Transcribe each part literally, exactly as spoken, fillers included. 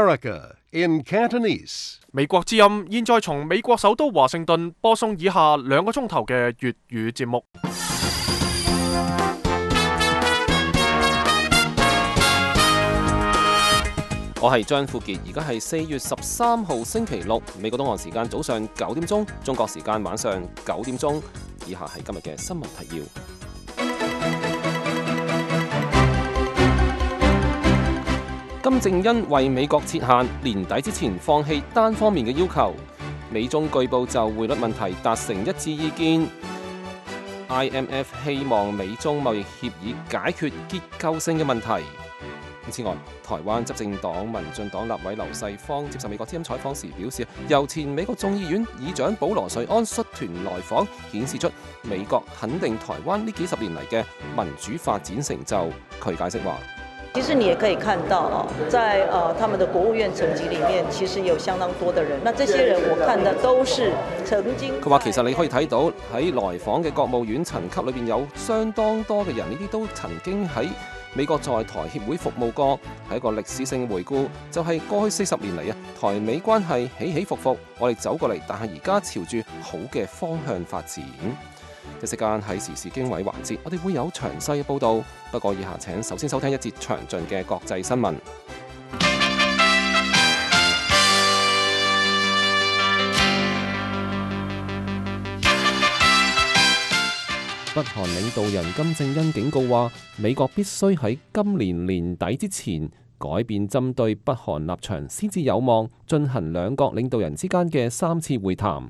America in Cantonese. 美國之音現在從美國首都華盛頓播送以下兩個鐘頭嘅粵語節目。我係張富傑，而家係四月十三號星期六，美國東岸時間早上九點鐘，中國時間晚上九點鐘。以下係今日嘅新聞提要。金正恩為美國設限，年底之前放棄單方面嘅要求。美中據報就匯率問題達成一致意見。I M F 希望美中貿易協議解決結構性嘅問題。此外，台灣執政黨民進黨立委劉世芳接受美國之音採訪時表示，由前美國眾議院議長保羅瑞安率團來訪，顯示出美國肯定台灣呢幾十年嚟嘅民主發展成就。佢解釋話：其實你也可以看到啊，在呃他們的國務院層級裡面，其實有相當多的人。那這些人，我看的都是曾經。佢話其實你可以睇到喺來訪嘅國務院層級裏邊有相當多嘅人，呢啲都曾經喺美國在台協會服務過，係一個歷史性回顧，就係、是、過去四十年嚟啊，台美關係起起伏伏，我哋走過嚟，但係而家朝住好嘅方向發展。一時間喺時事經緯環節，我哋會有詳細嘅報導。不過以下請首先收聽一節詳盡嘅國際新聞。北韓領導人金正恩警告話，美國必須喺今年年底之前改變針對北韓立場，先至有望進行兩國領導人之間嘅三次會談。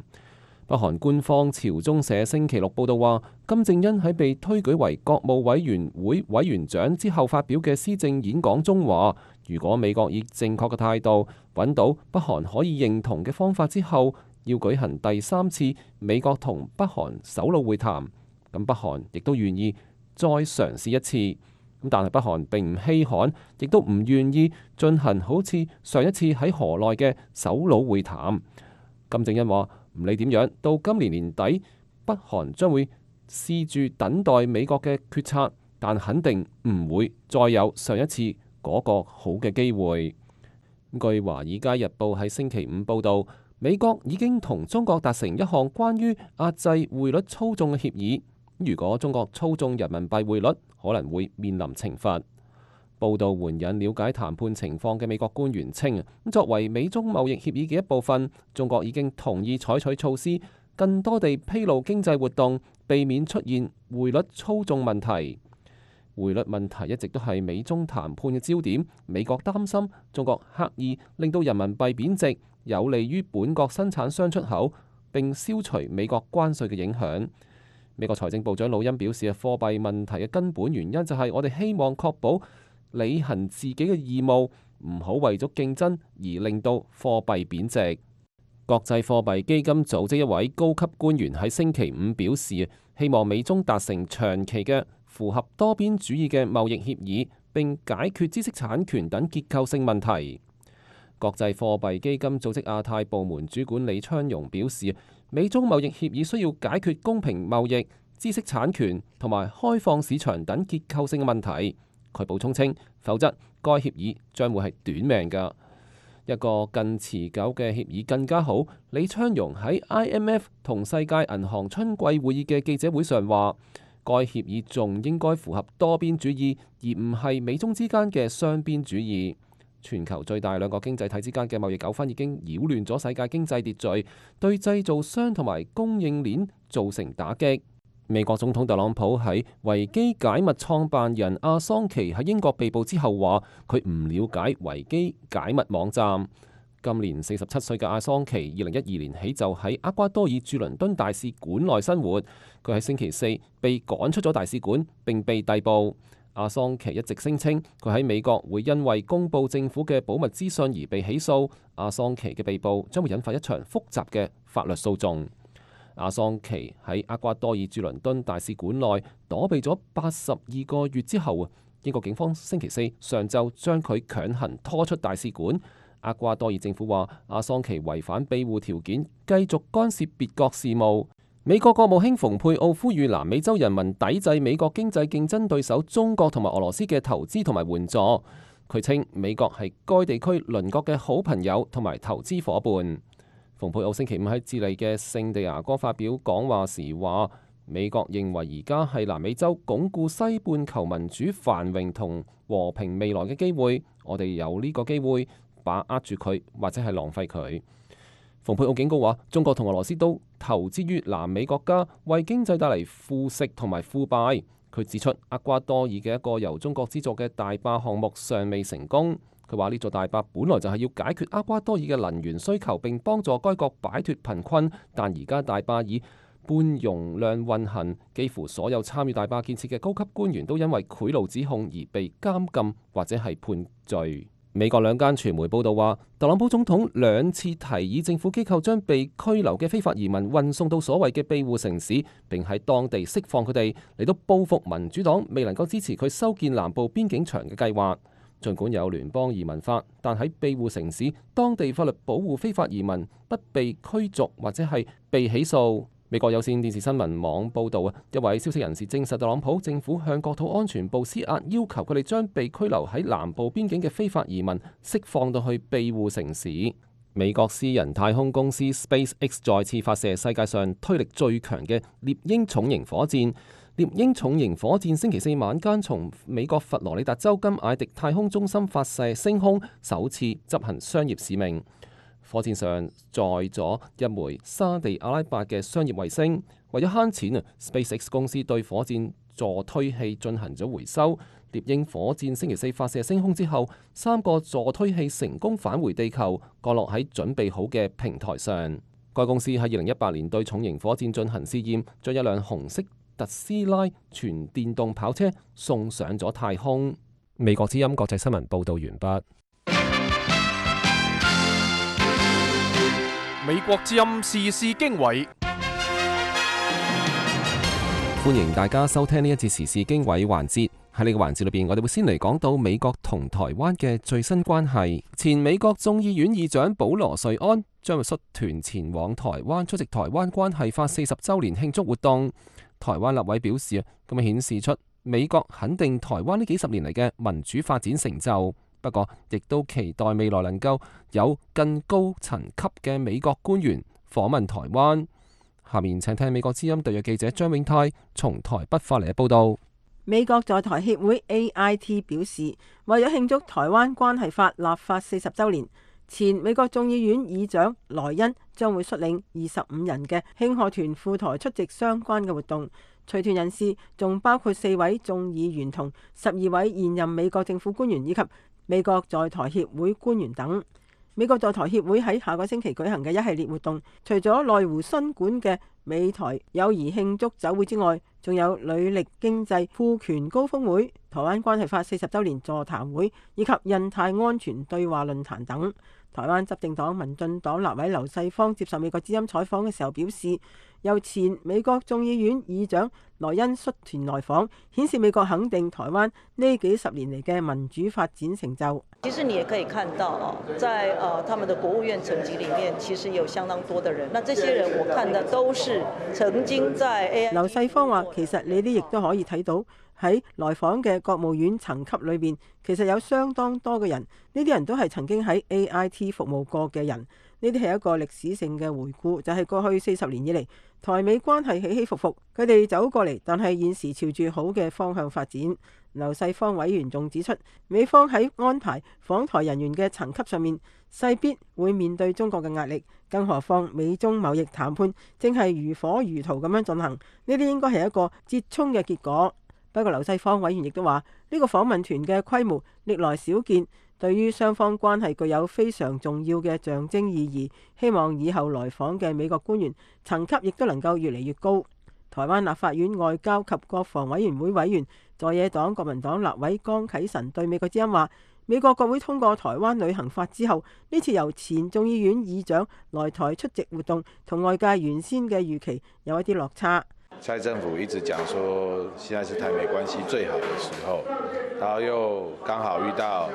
北韓官方朝中社星期六報道話，金正恩喺被推舉為國務委員會委員長之後發表嘅施政演講中話，如果美國以正確嘅態度揾到北韓可以認同嘅方法之後，要舉行第三次美國同北韓首腦會談。咁北韓亦都願意再嘗試一次，咁但係北韓並唔稀罕，亦都唔願意進行好似上一次喺河內嘅首腦會談。金正恩話唔理點樣，到今年年底，北韓將會試住等待美國嘅決策，但肯定唔會再有上一次嗰個好嘅機會。據華爾街日報喺星期五報道，美國已經同中國達成一項關於壓制匯率操縱嘅協議。如果中國操縱人民幣匯率，可能會面臨懲罰。報道援引了解談判情況嘅美國官員稱，作為美中貿易協議嘅一部分，中國已經同意採取措施，更多地披露經濟活動，避免出現匯率操縱問題。匯率問題一直都係美中談判嘅焦點。美國擔心中國刻意令到人民幣貶值，有利於本國生產商出口，並消除美國關稅嘅影響。美國財政部長魯恩表示，貨幣問題嘅根本原因就係我哋希望確保履行自己嘅義務，唔好為咗競爭而令到貨幣貶值。國際貨幣基金組織一位高級官員喺星期五表示，希望美中達成長期嘅符合多邊主義嘅貿易協議，並解決知識產權等結構性問題。國際貨幣基金組織亞太部門主管李昌榮表示，美中貿易協議需要解決公平貿易、知識產權同埋開放市場等結構性嘅問題。佢補充稱，否則該協議將會係短命㗎。一個更持久嘅協議更加好。李昌榮喺 I M F 同世界銀行春季會議嘅記者會上話，該協議仲應該符合多邊主義，而唔係美中之間嘅雙邊主義。全球最大兩個經濟體之間嘅貿易糾紛已經擾亂咗世界經濟秩序，對製造商同埋供應鏈造成打擊。美國總統特朗普喺維基解密創辦人阿桑奇喺英國被捕之後話，佢唔了解維基解密網站。今年四十七歲嘅阿桑奇，二零一二年起就喺厄瓜多爾駐倫敦大使館內生活。佢喺星期四被趕出咗大使館，並被逮捕。阿桑奇一直聲稱佢喺美國會因為公佈政府嘅保密資訊而被起訴。阿桑奇嘅被捕將會引發一場複雜嘅法律訴訟。阿桑奇喺厄瓜多爾駐倫敦大使館內躲避咗八十二個月之後，英國警方星期四上晝將佢強行拖出大使館。厄瓜多爾政府話阿桑奇違反庇護條件，繼續干涉別國事務。美國國務卿蓬佩奧呼籲南美洲人民抵制美國經濟競爭對手中國同埋俄羅斯嘅投資同埋援助。佢稱美國係該地區鄰國嘅好朋友同埋投資伙伴。蓬佩奧星期五喺智利嘅聖地牙哥發表講話時話，美國認為而家係南美洲鞏固西半球民主繁榮同和平未來嘅機會，我哋有呢個機會把握住佢，或者係浪費佢。蓬佩奧警告話，中國同俄羅斯都投資於南美國家，為經濟帶嚟腐蝕同埋腐敗。佢指出，厄瓜多爾嘅一個由中國資助嘅大壩項目尚未成功。佢話呢座大壩本來就係要解決厄瓜多爾嘅能源需求，並幫助該國擺脫貧困，但而家大壩以半容量運行，幾乎所有參與大壩建設嘅高級官員都因為賄賂指控而被監禁或者係判罪。美國兩間傳媒報道話，特朗普總統兩次提議政府機構將被拘留嘅非法移民運送到所謂嘅庇護城市，並喺當地釋放佢哋，嚟到報復民主黨未能夠支持佢修建南部邊境牆嘅計劃。儘管有聯邦移民法，但喺庇護城市，當地法律保護非法移民不被驅逐或者係被起訴。美國有線電視新聞網報導啊，一位消息人士證實，特朗普政府向國土安全部施壓，要求佢哋將被拘留喺南部邊境嘅非法移民釋放到去庇護城市。美國私人太空公司 SpaceX 再次發射世界上推力最強嘅獵鷹重型火箭。獵鷹重型火箭星期四晚間從美國佛羅里達州金艾迪太空中心發射升空，首次執行商業使命。火箭上載咗一枚沙地阿拉伯嘅商業衛星。為咗慳錢啊 ，SpaceX 公司對火箭助推器進行咗回收。獵鷹火箭星期四發射升空之後，三個助推器成功返回地球，降落喺準備好嘅平台上。該公司喺二零一八年對重型火箭進行試驗，將一輛紅色特斯拉全電動跑車送上咗太空。美國之音國際新聞報道完畢。美國之音時事經緯，歡迎大家收聽呢一節時事經緯環節。喺呢個環節裏邊，我哋會先嚟講到美國同台灣嘅最新關係。前美國眾議院議長保羅瑞安將會率團前往台灣出席台灣關係法四十週年慶祝活動。台灣立委表示啊，咁樣顯示出美國肯定台灣呢幾十年嚟嘅民主發展成就。不過，亦都期待未來能夠有更高層級嘅美國官員訪問台灣。下面請聽美國之音特約記者張永泰從台北發嚟嘅報道。美國在台協會 A I T 表示，為咗慶祝台灣關係法立法四十週年，前美國眾議院議長萊恩將會率領二十五人嘅慶賀團赴台出席相關嘅活動。隨團人士仲包括四位眾議員同十二位現任美國政府官員以及美國在台協會官員等。美國在台協會喺下個星期舉行嘅一系列活動，除咗內湖新館嘅美台友誼慶祝酒會之外，仲有履歷經濟賦權高峰會、台灣關係法四十週年座談會以及印太安全對話論壇等。台灣執政黨民進黨立委劉世芳接受美國之音採訪嘅時候表示，由前美國眾議院議長萊恩率團來訪，顯示美國肯定台灣呢幾十年嚟嘅民主發展成就。其實你也可以看到哦，在呃他們的國務院層級裡面，其實有相當多的人。那這些人我看的都是曾經在 A I T。劉世芳話：其實你哋亦都可以睇到喺來訪嘅國務院層級裏邊，其實有相當多嘅人，呢啲人都係曾經喺 A I T 服務過嘅人。呢啲係一個歷史性嘅回顧，就係、是、過去四十年以嚟，台美關係起起伏伏，佢哋走過嚟，但係現時朝住好嘅方向發展。劉世芳委員仲指出，美方喺安排訪台人員嘅層級上面，勢必會面對中國嘅壓力，更何況美中貿易談判正係如火如荼咁樣進行，呢啲應該係一個折衷嘅結果。不過劉世芳委員亦都話，呢、這個訪問團嘅規模歷來少見，對於雙方關係具有非常重要嘅象徵意義，希望以後來訪嘅美國官員層級亦都能夠越嚟越高。台灣立法院外交及國防委員會委員在野黨國民黨立委江啟臣對美國之音話，美國國會通過台灣旅行法之後，呢次由前眾議院議長來台出席活動，同外界原先嘅預期有一啲落差。蔡政府一直講說，現在是台美關係最好的時候，然後又剛好遇到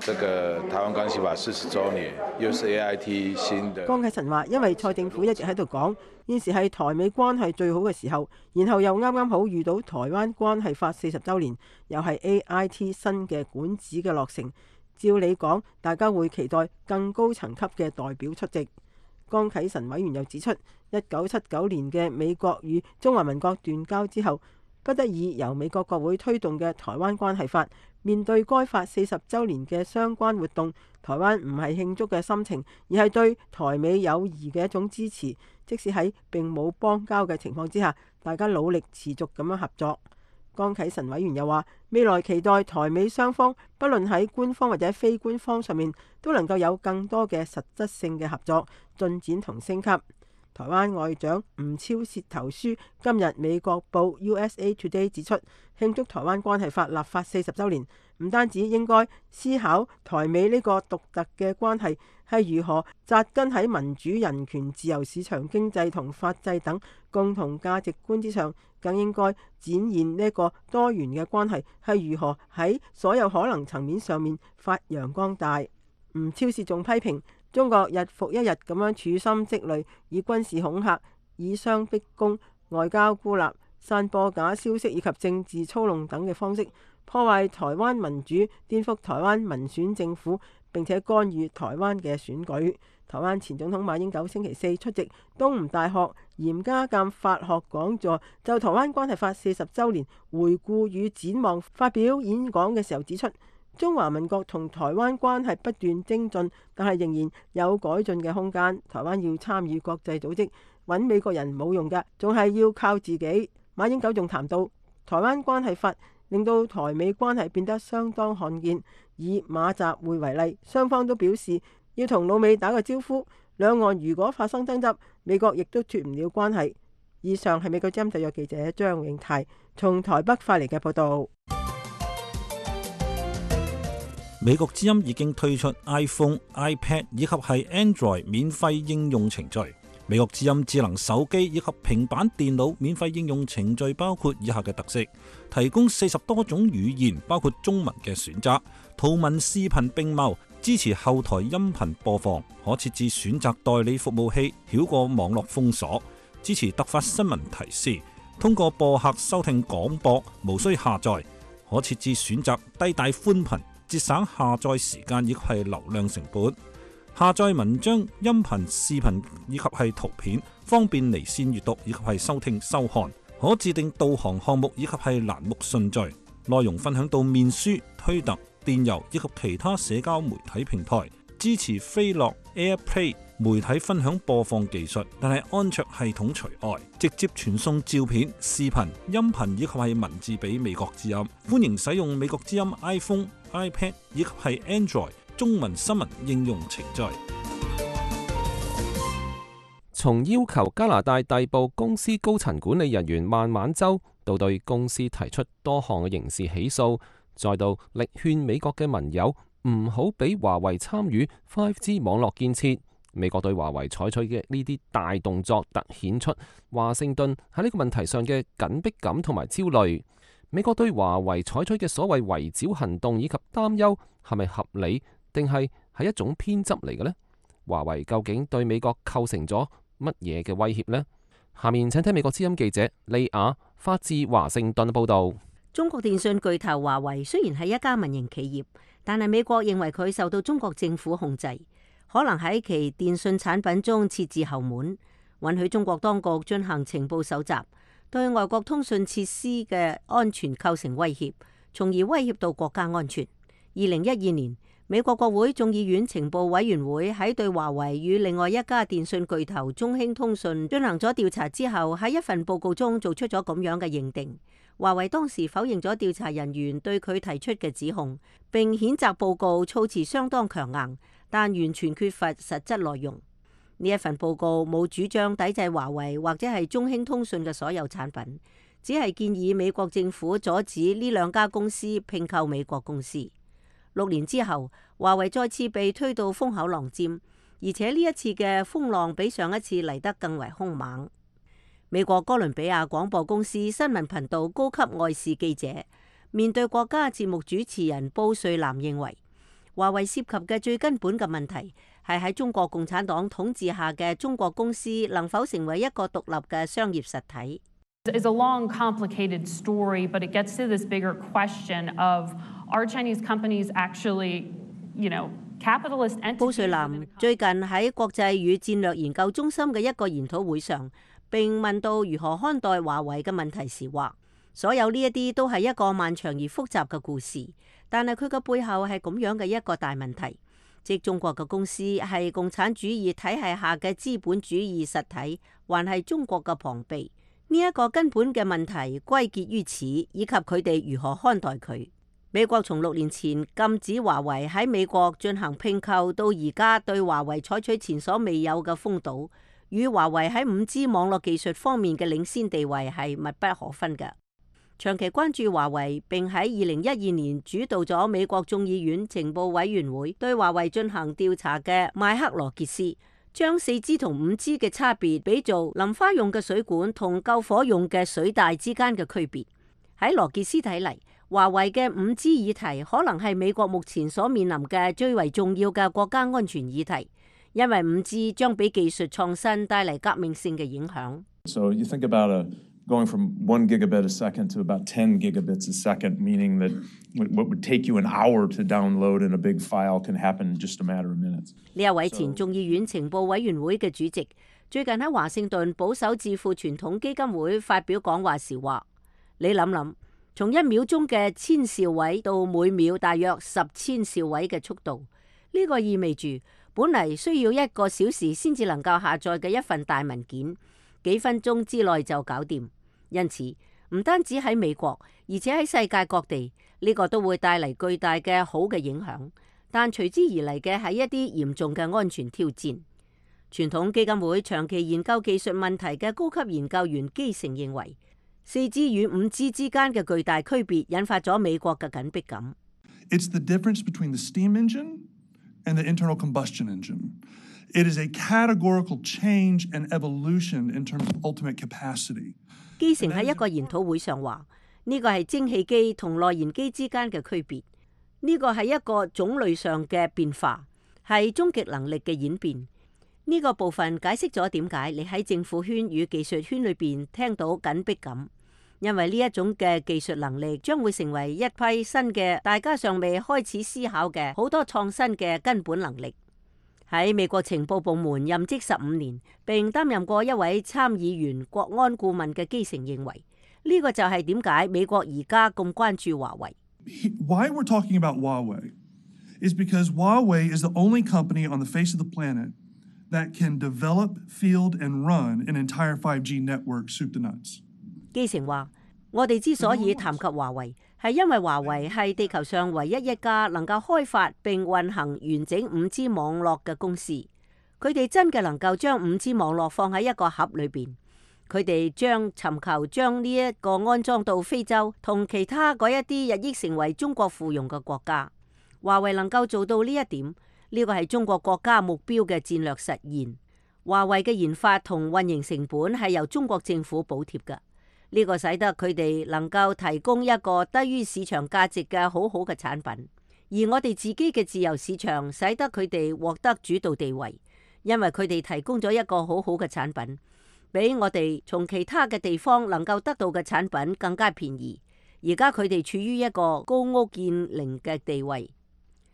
這個台灣關係法四十週年，又是 A I T 新的。江啟臣話：因為蔡政府一直喺度講，現時係台美關係最好嘅時候，然後又啱啱好遇到台灣關係法四十週年，又係 A I T 新嘅管子嘅落成，照理講，大家會期待更高層級嘅代表出席。江啟臣委員又指出，一九七九年嘅美國與中華民國斷交之後，不得已由美國國會推動嘅台灣關係法，面對該法四十週年嘅相關活動，台灣唔係慶祝嘅心情，而係對台美友誼嘅一種支持。即使喺並冇邦交嘅情況之下，大家努力持續咁樣合作。江啟臣委員又話：未來期待台美雙方，不論喺官方或者非官方上面，都能夠有更多嘅實質性嘅合作進展同升級。台灣外長吳釗燮投書今日美國報 U S A Today 指出，慶祝台灣關係法立法四十週年，唔單止應該思考台美呢個獨特嘅關係係如何紮根喺民主、人權、自由市場經濟同法制等共同價值觀之上，更應該展現呢個多元嘅關係係如何喺所有可能層面上面發揚光大。吳釗燮仲批評中國日復一日咁樣處心積慮，以軍事恐嚇、以商逼攻、外交孤立、散播假消息以及政治操弄等嘅方式，破壞台灣民主、顛覆台灣民選政府，並且干預台灣嘅選舉。台灣前總統馬英九星期四出席東吳大學嚴家淦法學講座，就台灣關係法四十週年回顧與展望發表演講嘅時候指出，中華民國同台灣關係不斷精進，但係仍然有改進嘅空間。台灣要參與國際組織，揾美國人冇用㗎，仲係要靠自己。馬英九仲談到台灣關係法令到台美關係變得相當罕見。以馬習會為例，雙方都表示要同老美打個招呼。兩岸如果發生爭執，美國亦都脫唔了關係。以上係美國之音特約記者張永泰從台北發嚟嘅報導。美國之音已經推出 iPhone、iPad 以及係 Android 免費應用程序。美國之音智能手機以及平板電腦免費應用程序包括以下嘅特色：提供四十多種語言，包括中文嘅選擇，圖文視頻並茂，支持後台音頻播放，可設置選擇代理服務器，繞過網絡封鎖，支持突發新聞提示，通過播客收聽廣播，無需下載，可設置選擇低帶寬頻，節省下載時間以及係流量成本。下載文章、音頻、視頻以及係圖片，方便離線閱讀以及係收聽收看。可自定導航項目以及係欄目順序。內容分享到面書、推特、電郵以及其他社交媒體平台。支持飛樂 AirPlay 媒體分享播放技術，但係安卓系統除外。直接傳送照片、視頻、音頻以及係文字俾美國之音。歡迎使用美國之音 iPhone、iPad 以及係 Android 中文新聞應用程序。從要求加拿大逮捕公司高層管理人員孟晚舟，到對公司提出多項嘅刑事起訴，再到力勸美國嘅盟友唔好俾華為參與 五 G 網絡建設，美國對華為採取嘅呢啲大動作，凸顯出華盛頓喺呢個問題上嘅緊迫感同埋焦慮。美國對華為採取嘅所謂圍剿行動以及擔憂，係咪合理，定係係一種偏執嚟嘅呢？華為究竟對美國構成咗乜嘢嘅威脅呢？下面請聽美國之音記者利亞發自華盛頓報道。中國電信巨頭華為雖然係一家民營企業，但係美國認為佢受到中國政府控制，可能喺其電信產品中設置後門，允許中國當局進行情報搜集，對外國通訊設施嘅安全構成威脅，從而威脅到國家安全。二零一二年，美國國會眾議院情報委員會喺對華為與另外一家電信巨頭中興通訊進行咗調查之後，喺一份報告中做出咗咁樣嘅認定。華為當時否認咗調查人員對佢提出嘅指控，並譴責報告措辭相當強硬，但完全缺乏實質內容。呢一份報告冇主張抵制華為或者係中興通訊嘅所有產品，只係建議美國政府阻止呢兩家公司併購美國公司。六年之後，華為再次被推到風口浪尖，而且呢一次嘅風浪比上一次嚟得更為兇猛。美國哥倫比亞廣播公司新聞頻道高級外事記者面對國家節目主持人布瑞南認為，華為涉及嘅最根本嘅問題係喺中國共產黨統治下嘅中國公司能否成為一個獨立嘅商業實體。It's a long, complicated story, but it gets to this bigger question of are Chinese companies actually, you know, capitalist entities? 布瑞南最近喺國際與戰略研究中心嘅一個研討會上，並問到如何看待華為嘅問題時話，所有呢一啲都係一個漫長而複雜嘅故事，但係佢嘅背後係咁樣嘅一個大問題，即中國嘅公司係共產主義體系下嘅資本主義實體，還係中國嘅旁臂？呢一個根本嘅問題歸結於此，以及佢哋如何看待佢。美國從六年前禁止華為喺美國進行併購，到而家對華為採取前所未有嘅封堵，與華為喺五 G 網絡技術方面嘅領先地位係密不可分嘅。長期關注華為並喺二零一二年主導咗美國眾議院情報委員會對華為進行調查嘅邁克羅傑斯，將四 G 同五 G 嘅差別比做淋花用嘅水管同救火用嘅水帶之間嘅區別。喺羅傑斯睇嚟，華為嘅五 G 議題可能係美國目前所面臨嘅最為重要嘅國家安全議題。因為五 G 將俾技術創新帶嚟革命性嘅影響。So you think about a going from one gigabit a second to about ten gigabits a second, meaning that what would take you an hour to download in a big file can happen in just a matter of minutes. 呢一位前眾議院情報委員會嘅主席，最近喺華盛頓保守智庫傳統基金會發表講話時話：你諗諗，從一秒鐘嘅千兆位到每秒大約十千兆位嘅速度，呢個意味住，本嚟需要一個小時先至能夠下載嘅一份大文件，幾分鐘之內就搞掂。因此，唔單止喺美國，而且喺世界各地，呢個都會帶嚟巨大嘅好嘅影響。但隨之而嚟嘅係一啲嚴重嘅安全挑戰。傳統基金會長期研究技術問題嘅高級研究員基成認為，四 G 與五 G 之間嘅巨大區別引發咗美國嘅緊迫感。It's the difference between the steam engine and the internal combustion engine. It is a categorical change and evolution in terms of ultimate capacity. 基成喺一個研討會上話：呢個係蒸汽機同內燃機之間嘅區別，呢個係一個種類上嘅變化，係終極能力嘅演變。呢個部分解釋咗點解你喺政府圈與技術圈裏邊聽到緊迫感，因為呢一種嘅技術能力將會成為一批新嘅大家尚未開始思考嘅好多創新嘅根本能力。喺美國情報部門任職十五年，並擔任過一位參議員國安顧問嘅基成認為，呢個就係點解美國而家咁關注華為。Why we're talking about Huawei is because Huawei is the only company on the face of the planet that can develop, field and run an entire five G network soup to nuts. 基成話：我哋之所以談及華為，係因為華為係地球上唯一一家能夠開發並運行完整五 G 網絡嘅公司。佢哋真嘅能夠將五 G 網絡放喺一個盒裏邊，佢哋將尋求將呢一個安裝到非洲同其他嗰一啲日益成為中國附庸嘅國家。華為能夠做到呢一點，呢個係中國國家目標嘅戰略實現。華為嘅研發同運營成本係由中國政府補貼嘅。呢個使得佢哋能夠提供一個低於市場價值嘅好好嘅產品，而我哋自己嘅自由市場使得佢哋獲得主導地位，因為佢哋提供咗一個好好嘅產品，比我哋從其他嘅地方能夠得到嘅產品更加便宜。而家佢哋處於一個高屋建瓴嘅地位。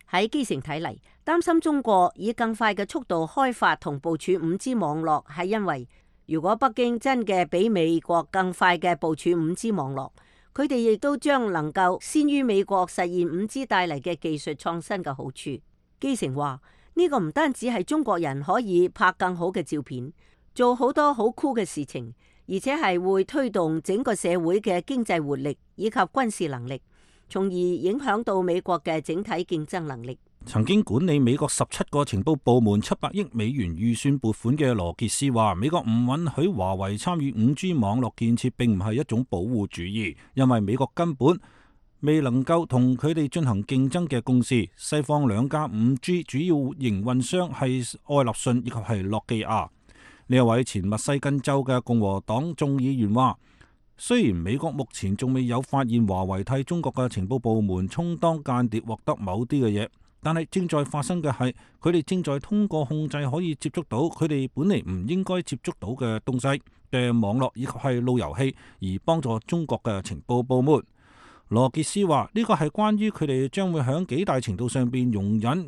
喺基成睇嚟，擔心中國以更快嘅速度開發同部署五 G 網絡，係因為如果北京真嘅比美國更快嘅部署五 G 網絡，佢哋亦都將能夠先於美國實現五 G 帶嚟嘅技術創新嘅好處。基成話：呢個唔單止係中國人可以拍更好嘅照片，做好多好酷嘅事情，而且係會推動整個社會嘅經濟活力以及軍事能力，從而影響到美國嘅整體競爭能力。曾經管理美國十七個情報部門七百億美元預算撥款嘅羅傑斯話：美國唔允許華為參與五 G 網絡建設並唔係一種保護主義，因為美國根本未能夠同佢哋進行競爭嘅公司。西方兩家五 G 主要營運商係愛立信以及係諾基亞。呢一位前密西根州嘅共和黨眾議員話，雖然美國目前仲未有發現華為替中國嘅情報部門充當間諜獲得某啲嘅嘢，但係正在發生嘅係佢哋正在通過控制可以接觸到佢哋本嚟唔應該接觸到嘅東西嘅網絡以及係路由器，而幫助中國嘅情報部門。羅傑斯話呢個係關於佢哋將會響幾大程度上邊容忍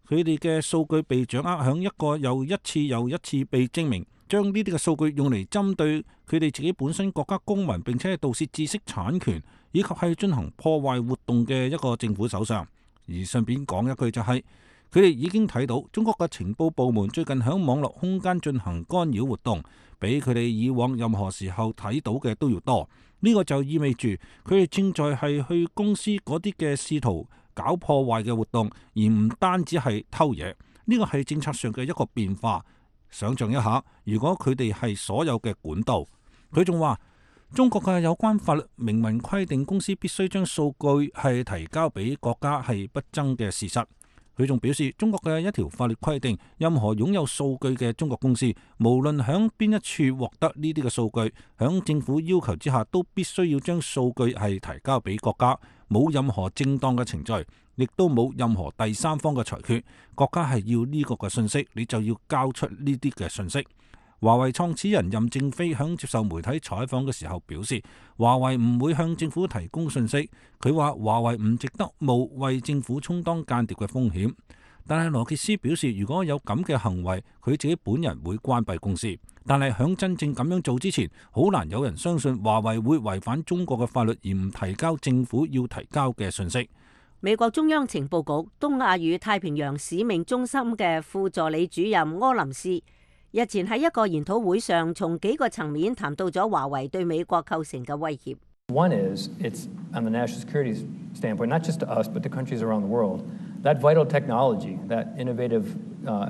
佢哋嘅數據被掌握，響一個又一次又一次被證明將呢啲嘅數據用嚟針對佢哋自己本身國家公民，並且係盜竊知識產權以及係進行破壞活動嘅一個政府手上。而順便講一句就係佢哋已經睇到中國嘅情報部門最近響網絡空間進行干擾活動，比佢哋以往任何時候睇到嘅都要多。呢個就意味住佢哋正在係去公司嗰啲嘅試圖搞破壞嘅活動，而唔單止係偷嘢。呢個係政策上嘅一個變化。想象一下，如果佢哋係所有嘅管道，佢仲話中國嘅有關法律明文規定公司必須將數據係提交俾國家係不爭嘅事實。佢仲表示，中國嘅一條法律規定，任何擁有數據嘅中國公司，無論響邊一處獲得呢啲嘅數據，響政府要求之下，都必須要將數據係提交俾國家，冇任何正當嘅程序，亦都冇任何第三方嘅裁決。國家係要呢個嘅信息，你就要交出呢啲嘅信息。華為創始人任正非響接受媒體採訪嘅時候表示，華為唔會向政府提供信息。佢話華為唔值得冒為政府充當間諜嘅風險。但係羅傑斯表示，如果有咁嘅行為，佢自己本人會關閉公司。但係響真正咁樣做之前，好難有人相信華為會違反中國嘅法律而唔提交政府要提交嘅信息。美國中央情報局東亞與太平洋使命中心嘅副助理主任柯林斯日前喺一個研討會上，從幾個層面談到咗華為對美國構成嘅威脅。One is it's on the national security standpoint, not just to us, but to countries around the world. That vital technology, that innovative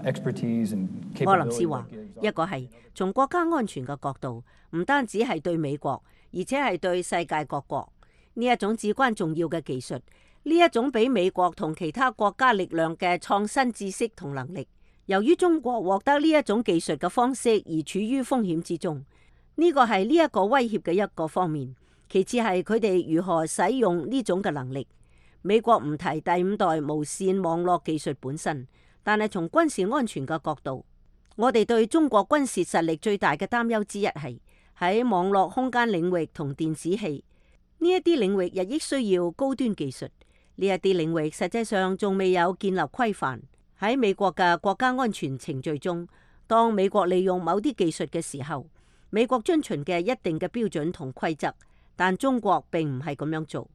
expertise and capability. 柯林斯話：一個係從國家安全嘅角度，唔單止係對美國，而且係對世界各國呢一種至關重要嘅技術，呢一種比美國同其他國家力量嘅創新知識同能力。由於中國獲得呢一種技術嘅方式而處於風險之中，呢個係呢一個威脅嘅一個方面。其次係佢哋如何使用呢種嘅能力。美國唔提第五代無線網絡技術本身，但係從軍事安全嘅角度，我哋對中國軍事實力最大嘅擔憂之一係喺網絡空間領域同電子器呢一啲領域日益需要高端技術。呢一啲領域實際上仲未有建立規範。喺美國嘅國家安全程序中，當美國利用某啲技術嘅時候，美國遵循嘅一定嘅標準同規則，但中國並唔係咁樣做。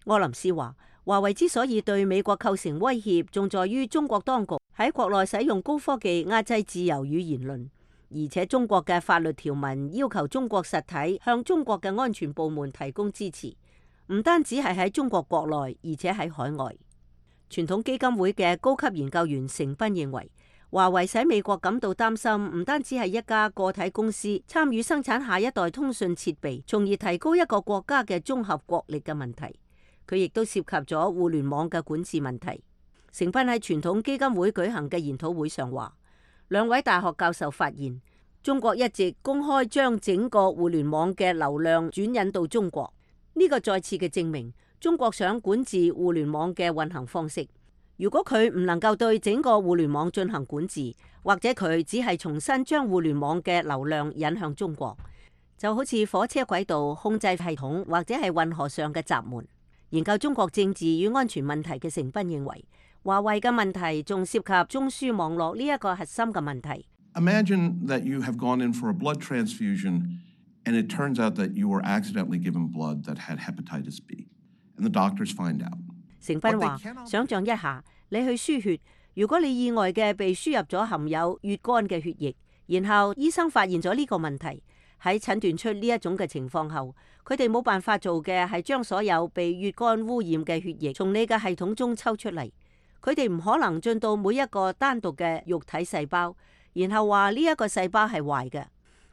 柯林斯話，華為之所以對美國構成威脅，仲在於中國當局喺國內使用高科技壓制自由與言論，而且中國嘅法律條文要求中國實體向中國嘅安全部門提供支持，唔單止係喺中國國內，而且喺海外。傳統基金會嘅高級研究員成斌認為，華為使美國感到擔心，唔單止係一家個體公司參與生產下一代通訊設備，從而提高一個國家嘅綜合國力嘅問題，佢亦都涉及咗互聯網嘅管治問題。成斌喺傳統基金會舉行嘅研討會上話，兩位大學教授發現，中國一直公開將整個互聯網嘅流量轉引到中國，呢個再次嘅證明中國想管治互聯網嘅運行方式。如果佢唔能夠對整個互聯網進行管治，或者佢只係重新將互聯網嘅流量引向中國，就好似火車軌道控制系統或者係運河上嘅閘門。研究中國政治與安全問題嘅成斌認為，華為嘅問題仲涉及中樞網絡呢一個核心嘅問題。Imagine that you have gone in for a blood transfusion and it turns out that you were accidentally given blood that had hepatitis B and the doctors find out. 成斌話：想象一下，你去輸血，如果你意外嘅被輸入咗含有乙肝嘅血液，然後醫生發現咗呢個問題，喺診斷出呢一種嘅情況後，佢哋冇辦法做嘅係將所有被乙肝污染嘅血液從你嘅系統中抽出嚟。佢哋唔可能進到每一個單獨嘅肉體細胞，然後話呢一個細胞係壞嘅。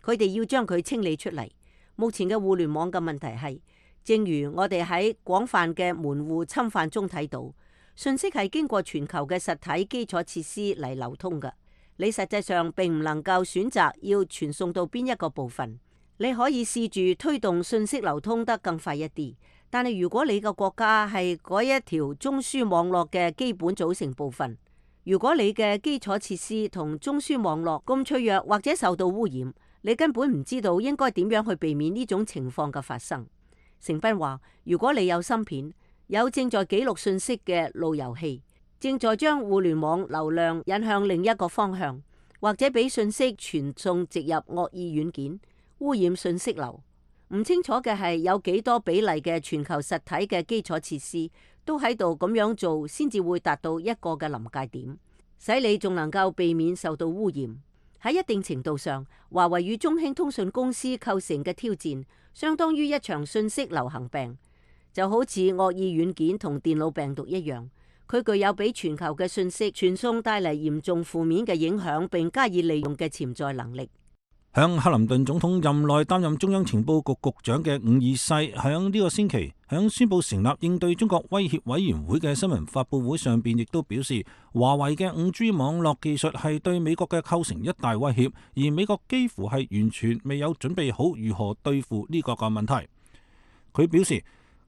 佢哋要將佢清理出嚟。目前嘅互聯網嘅問題係，正如我哋喺廣泛嘅門戶侵犯中睇到，信息係經過全球嘅實體基礎設施嚟流通嘅，你實際上並唔能夠選擇要傳送到邊一個部分。你可以試住推動信息流通得更快一啲，但係如果你個國家係嗰一條中樞網絡嘅基本組成部分，如果你嘅基礎設施同中樞網絡咁脆弱或者受到污染，你根本唔知道應該點樣去避免呢種情況嘅發生。成斌話：如果你有芯片，有正在記錄信息嘅路由器，正在將互聯網流量引向另一個方向，或者俾信息傳送植入惡意軟件，污染信息流。唔清楚嘅係有幾多比例嘅全球實體嘅基礎設施都喺度咁樣做，先至會達到一個嘅臨界點，使你仲能夠避免受到污染。喺一定程度上，華為與中興通訊公司構成嘅挑戰，相當於一場信息流行病，就好似惡意軟件同電腦病毒一樣。佢具有俾全球嘅信息傳送帶嚟嚴重負面嘅影響，並加以利用嘅潛在能力。響克林頓總統任內擔任中央情報局局長嘅伍爾西，響呢個星期響宣布成立應對中國威脅委員會嘅新聞發佈會上邊，亦都表示華為嘅五 G 網絡技術係對美國嘅構成一大威脅，而美國幾乎係完全未有準備好如何對付呢個個問題。佢表示，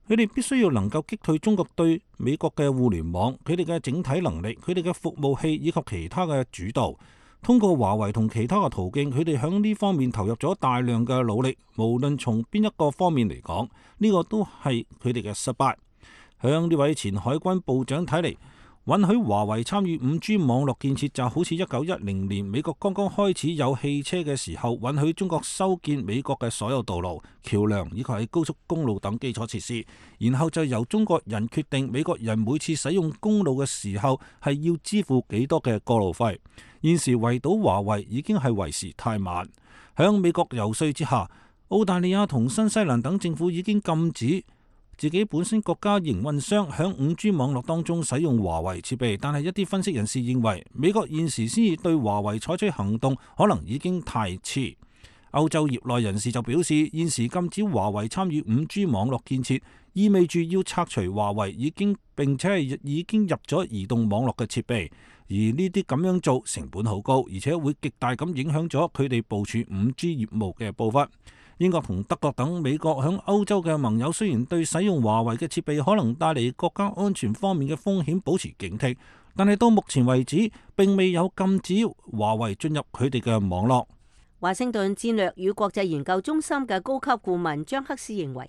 佢哋必須要能夠擊退中國對美國嘅互聯網，佢哋嘅整體能力、佢哋嘅服務器以及其他嘅主導。通過華為同其他嘅途徑，佢哋響呢方面投入咗大量嘅努力，無論從邊一個方面嚟講，呢個都係佢哋嘅失敗。響呢位前海軍部長睇嚟，允許華為參與五 G 網絡建設就好似一九一零年美國剛剛開始有汽車嘅時候，允許中國修建美國嘅所有道路、橋梁以及係高速公路等基礎設施，然後就由中國人決定美國人每次使用公路嘅時候係要支付幾多嘅過路費。現時圍堵華為已經係為時太晚。響美國遊說之下，澳大利亞同新西蘭等政府已經禁止自己本身國家營運商響五 G 網絡當中使用華為設備，但係一啲分析人士認為，美國現時先至對華為採取行動，可能已經太遲。歐洲業內人士就表示，現時禁止華為參與五 G 網絡建設，意味住要拆除華為已經並且係已經入咗移動網絡嘅設備，而呢啲咁樣做成本好高，而且會極大咁影響咗佢哋部署五 G 業務嘅步伐。英國同德國等美國響歐洲嘅盟友雖然對使用華為嘅設備可能帶嚟國家安全方面嘅風險保持警惕，但係到目前為止並未有禁止華為進入佢哋嘅網絡。華盛頓戰略與國際研究中心嘅高級顧問張克斯認為，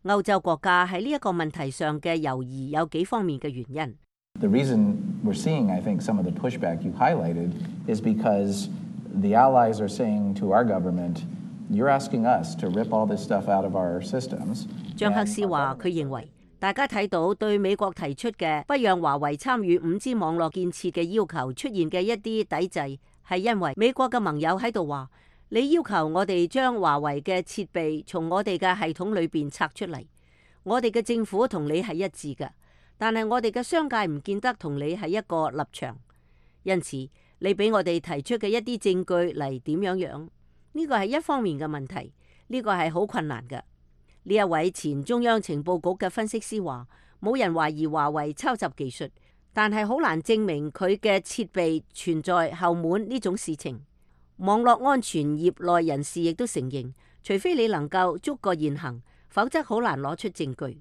歐洲國家喺呢一個問題上嘅猶豫有幾方面嘅原因。The reason we're seeing, I think, some of the pushback you highlighted is because the allies are saying to our government,You're asking us to rip all this stuff out of our systems. 張克斯話：佢認為大家睇到對美國提出嘅不讓華為參與五 G 網絡建設嘅要求出現嘅一啲抵制，係因為美國嘅盟友喺度話：你要求我哋將華為嘅設備從我哋嘅系統裏邊拆出嚟，我哋嘅政府同你係一致嘅，但係我哋嘅商界唔見得同你係一個立場，因此你俾我哋提出嘅一啲證據嚟點樣樣？呢個係一方面嘅問題，呢個係好困難嘅。呢一位前中央情報局嘅分析師話：冇人懷疑華為抄襲技術，但係好難證明佢嘅設備存在後門呢種事情。網絡安全業內人士亦都承認，除非你能夠捉個現行，否則好難攞出證據。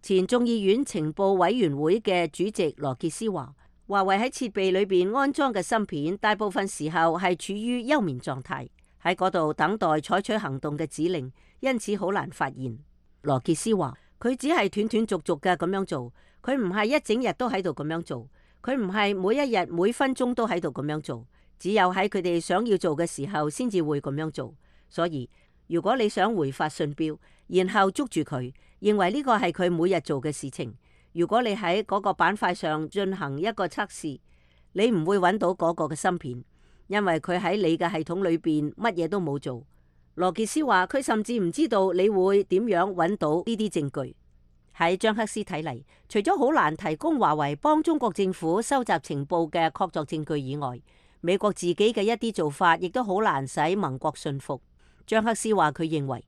前眾議院情報委員會嘅主席羅傑斯話：華為喺設備裏邊安裝嘅芯片，大部分時候係處於休眠狀態。喺嗰度等待採取行動嘅指令，因此好難發現。羅傑斯話：佢只係斷斷續續嘅咁樣做，佢唔係一整日都喺度咁樣做，佢唔係每一日每分鐘都喺度咁樣做，只有喺佢哋想要做嘅時候先至會咁樣做。所以如果你想回發信標，然後捉住佢，認為呢個係佢每日做嘅事情，如果你喺嗰個板塊上進行一個測試，你唔會揾到嗰個嘅芯片。因為佢喺你嘅系統裏邊乜嘢都冇做。羅傑斯話佢甚至唔知道你會點樣揾到呢啲證據。喺張克斯睇嚟，除咗好難提供華為幫中國政府收集情報嘅確鑿證據以外，美國自己嘅一啲做法亦都好難使盟國信服。張克斯話佢認為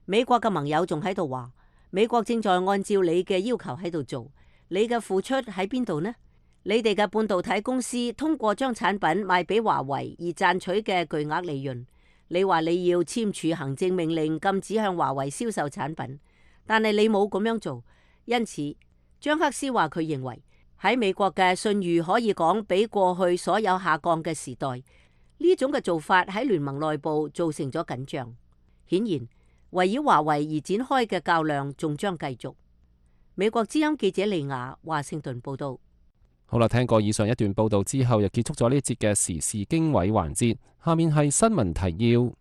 美國嘅盟友仲喺度話，美國正在按照你嘅要求喺度做，你嘅付出喺邊度呢？你哋嘅半導體公司通過將產品賣俾華為而賺取嘅巨額利潤，你話你要簽署行政命令禁止向華為銷售產品，但係你冇咁樣做，因此張克斯話佢認為喺美國嘅信譽可以講比過去所有下降嘅時代，呢種嘅做法喺聯盟內部造成咗緊張。顯然圍繞華為而展開嘅較量仲將繼續。美國之音記者利亞華盛頓報道。好啦，聽過以上一段報道之後，又結束咗呢一節嘅時事經緯環節。下面係新聞提要。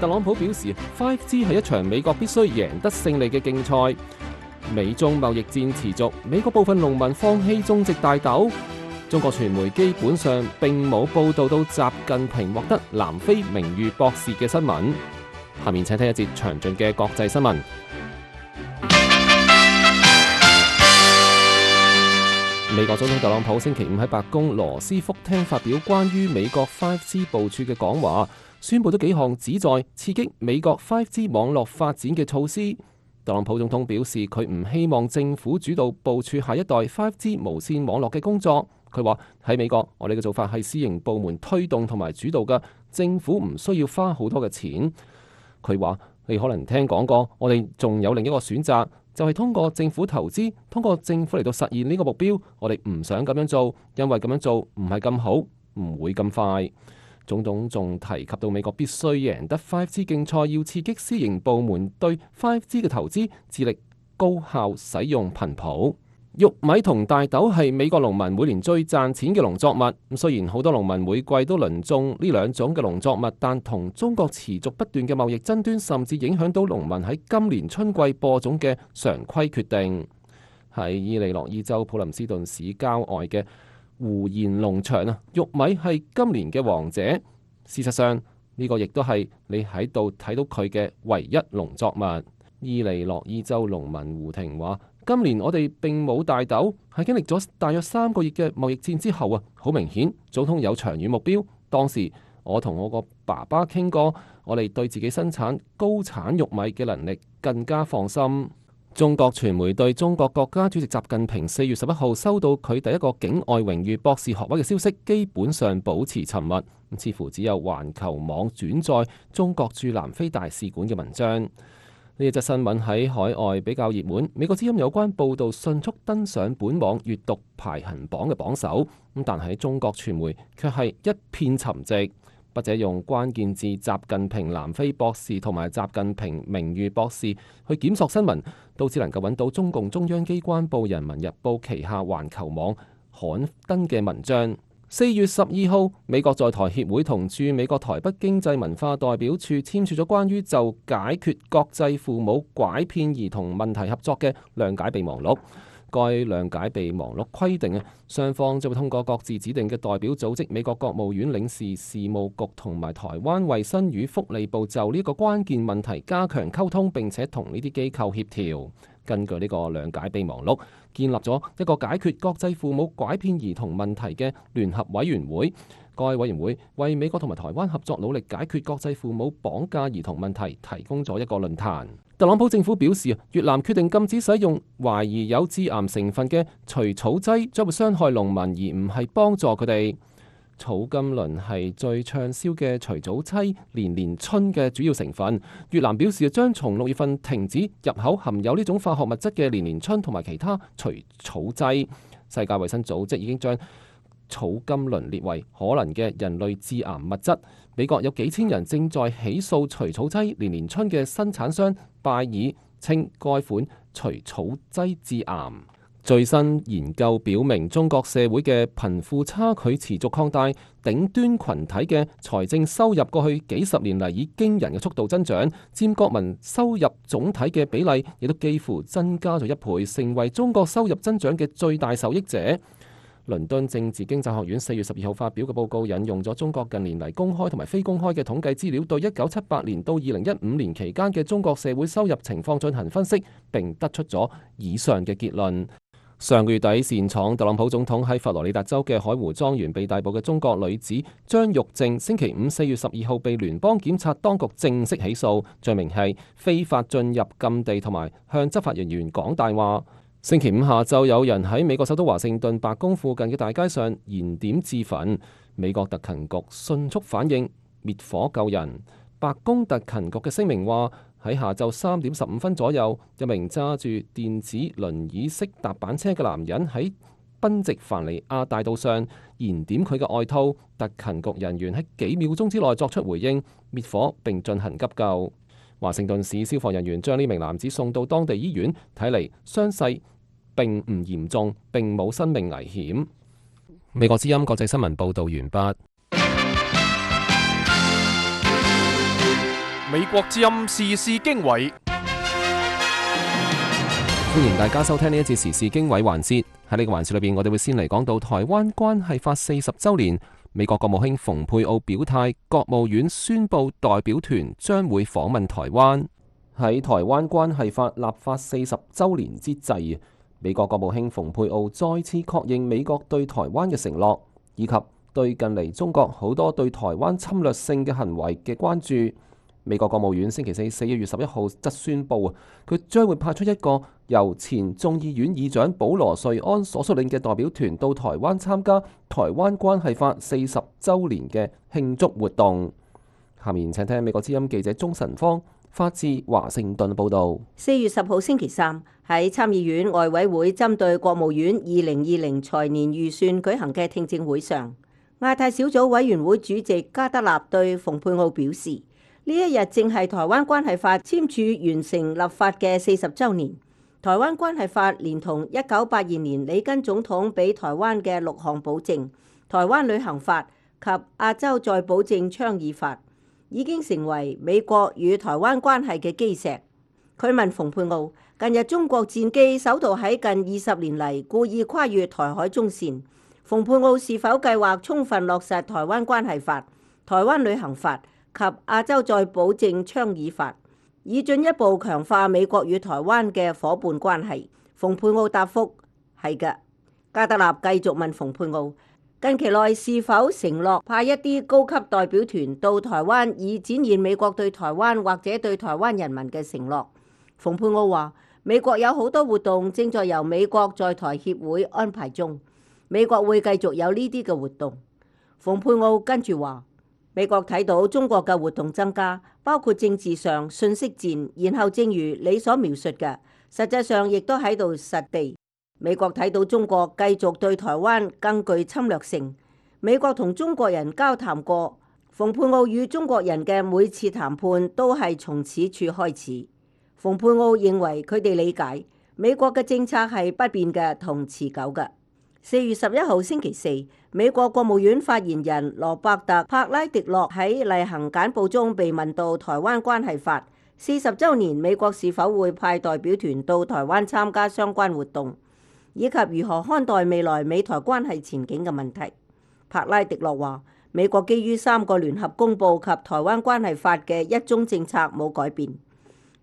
特朗普表示 五 G 係一場美國必須贏得勝利嘅競賽。美中貿易戰持續，美國部分農民放棄種植大豆。中國傳媒基本上並冇報道到習近平獲得南非名譽博士嘅新聞。下面請聽一節詳盡嘅國際新聞。美國總統特朗普星期五喺白宮羅斯福廳發表關於美國 五 G 部署嘅講話，宣布咗幾項旨在刺激美國 五 G 網絡發展嘅措施。特朗普總統表示，佢唔希望政府主導部署下一代 五 G 無線網絡嘅工作。佢話喺美國，我哋嘅做法係私營部門推動同埋主導嘅，政府唔需要花好多嘅錢。佢話你可能聽講過，我哋仲有另一個選擇。就係通過政府投資，通過政府嚟到實現呢個目標。我哋唔想咁樣做，因為咁樣做唔係咁好，唔會咁快。總統仲提及到美國必須贏得 五 G 競賽，要刺激私營部門對 五 G 嘅投資，致力高效使用頻譜。玉米同大豆係美國農民每年最賺錢嘅農作物。咁雖然好多農民每季都輪種呢兩種嘅農作物，但同中國持續不斷嘅貿易爭端，甚至影響到農民喺今年春季播種嘅常規決定。喺伊利諾伊州普林斯頓市郊外嘅胡賢農場啊，玉米係今年嘅王者。事實上呢個亦都係你喺度睇到佢嘅唯一農作物。伊利諾伊州農民胡婷話：今年我哋並冇大豆，係經歷咗大約三個月嘅貿易戰之後啊，好明顯總統有長遠目標。當時我同我個爸爸傾過，我哋對自己生產高產玉米嘅能力更加放心。中國傳媒對中國國家主席習近平四月十一號收到佢第一個境外榮譽博士學位嘅消息，基本上保持沉默，似乎只有環球網轉載中國駐南非大使館嘅文章。呢一則新聞喺海外比較熱門，美國之音有關報導迅速登上本網閱讀排行榜嘅榜首，咁但喺中國傳媒卻係一片沉寂。筆者用關鍵字習近平南非博士同埋習近平名譽博士去檢索新聞，都只能夠揾到中共中央機關報《人民日報》旗下環球網刊登嘅文章。四月十二號，美國在台協會同駐美國台北經濟文化代表處簽署咗關於就解決國際父母拐騙兒童問題合作嘅諒解備忘錄。該諒解備忘錄規定啊，雙方將會通過各自指定嘅代表組織、美國國務院領事事務局同埋台灣衛生與福利部就呢個關鍵問題加強溝通，並且同呢啲機構協調。根據呢個諒解備忘錄，建立咗一個解決國際父母拐騙兒童問題嘅聯合委員會。該委員會為美國同埋台灣合作努力解決國際父母綁架兒童問題提供咗一個論壇。特朗普政府表示，越南決定禁止使用懷疑有致癌成分嘅除草劑，將會傷害農民而唔係幫助佢哋。草甘膦係最暢銷嘅除草劑連連春嘅主要成分。越南表示將從六月份停止入口含有呢種化學物質嘅連連春同埋其他除草劑。世界衛生組織已經將草甘膦列為可能嘅人類致癌物質。美國有幾千人正在起訴除草劑連連春嘅生產商拜爾，稱該款除草劑致癌。最新研究表明，中國社會嘅貧富差距持續擴大，頂端群體嘅財政收入過去幾十年嚟以驚人嘅速度增長，佔國民收入總體嘅比例亦都幾乎增加咗一倍，成為中國收入增長嘅最大受益者。倫敦政治經濟學院四月十二號發表嘅報告引用咗中國近年嚟公開同埋非公開嘅統計資料，對一九七八年到二零一五年期間嘅中國社會收入情況進行分析，並得出咗以上嘅結論。上個月底，擅闖特朗普總統喺佛羅里達州嘅海湖莊園被逮捕嘅中國女子張玉靜，星期五四月十二號被聯邦檢察當局正式起訴，罪名係非法進入禁地同埋向執法人員講大話。星期五下晝，有人喺美國首都華盛頓白宮附近嘅大街上燃點自焚，美國特勤局迅速反應滅火救人。白宮特勤局嘅聲明話，喺下晝三點十五分左右，一名揸住電子輪椅式踏板車嘅男人喺賓夕凡尼亞大道上燃點佢嘅外套，特勤局人員喺幾秒鐘之內作出回應，滅火並進行急救。華盛頓市消防人員將呢名男子送到當地醫院，睇嚟傷勢並唔嚴重，並冇生命危險。美國之音國際新聞報導完畢。美國之音時事經緯，歡迎大家收聽呢一節時事經緯環節。喺呢個環節裏邊，我哋會先嚟講到台灣關係法四十週年。美國國務卿蓬佩奧表態，國務院宣布代表團將會訪問台灣。喺台灣關係法立法四十週年之際，美國國務卿蓬佩奧再次確認美國對台灣嘅承諾，以及對近嚟中國好多對台灣侵略性嘅行為嘅關注。美國國務院星期四四月十一號則宣布，佢將會派出一個由前眾議院議長保羅瑞安所率領嘅代表團到台灣參加台灣關係法四十週年嘅慶祝活動。下面請聽美國之音記者鍾晨芳發自華盛頓報導。四月十號星期三喺參議院外委會針對國務院二零二零財年預算舉行嘅聽證會上，亞太小組委員會主席加德納對蓬佩奧表示，呢一日正係台灣關係法簽署完成立法嘅四十週年。台灣關係法連同一九八二年里根總統俾台灣嘅六項保證、台灣旅行法及亞洲再保證倡議法，已經成為美國與台灣關係嘅基石。佢問蓬佩奧，近日中國戰機首度喺近二十年嚟故意跨越台海中線，蓬佩奧是否計劃充分落實台灣關係法、台灣旅行法及亞洲再保證倡議法，以進一步強化美國與台灣嘅夥伴關係？蓬佩奧答覆係嘅。加德納繼續問蓬佩奧，近期內是否承諾派一啲高級代表團到台灣，以展現美國對台灣或者對台灣人民嘅承諾？蓬佩奧話，美國有好多活動正在由美國在台協會安排中，美國會繼續有呢啲嘅活動。蓬佩奧跟住話，美國睇到中國嘅活動增加，包括政治上、信息戰，然後正如你所描述嘅，實際上亦都喺度實地。美國睇到中國繼續對台灣更具侵略性。美國同中國人交談過，蓬佩奧與中國人嘅每次談判都係從此處開始。蓬佩奧認為佢哋理解美國嘅政策係不變嘅同持久嘅。四月十一號星期四，美國國務院發言人羅伯特帕拉迪諾喺例行簡報中被問到台灣關係法四十週年，美國是否會派代表團到台灣參加相關活動，以及如何看待未來美台關係前景嘅問題。帕拉迪諾話，美國基於三個聯合公報及台灣關係法嘅一中政策冇改變。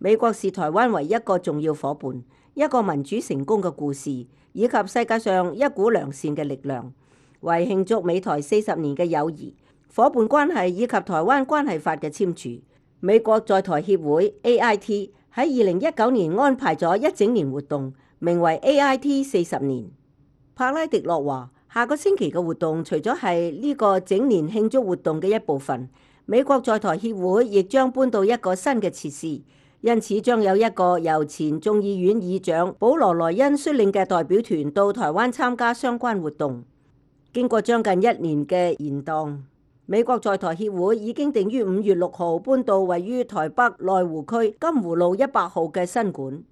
美國視台灣為一個重要夥伴，一個民主成功嘅故事，以及世界上一股良善嘅力量。為慶祝美台四十年嘅友誼、夥伴關係以及台灣關係法嘅簽署，美國在台協會 A I T 喺二零一九年安排咗一整年活動，名為 A I T 四十年。帕拉迪諾話，下個星期嘅活動除咗係呢個整年慶祝活動嘅一部分，美國在台協會亦將搬到一個新嘅設施，因此將有一個由前眾議院議長保羅萊恩率領嘅代表團到台灣參加相關活動。經過將近一年嘅延宕，美國在台協會已經定於五月六號搬到位於台北內湖區金湖路一百號嘅新館。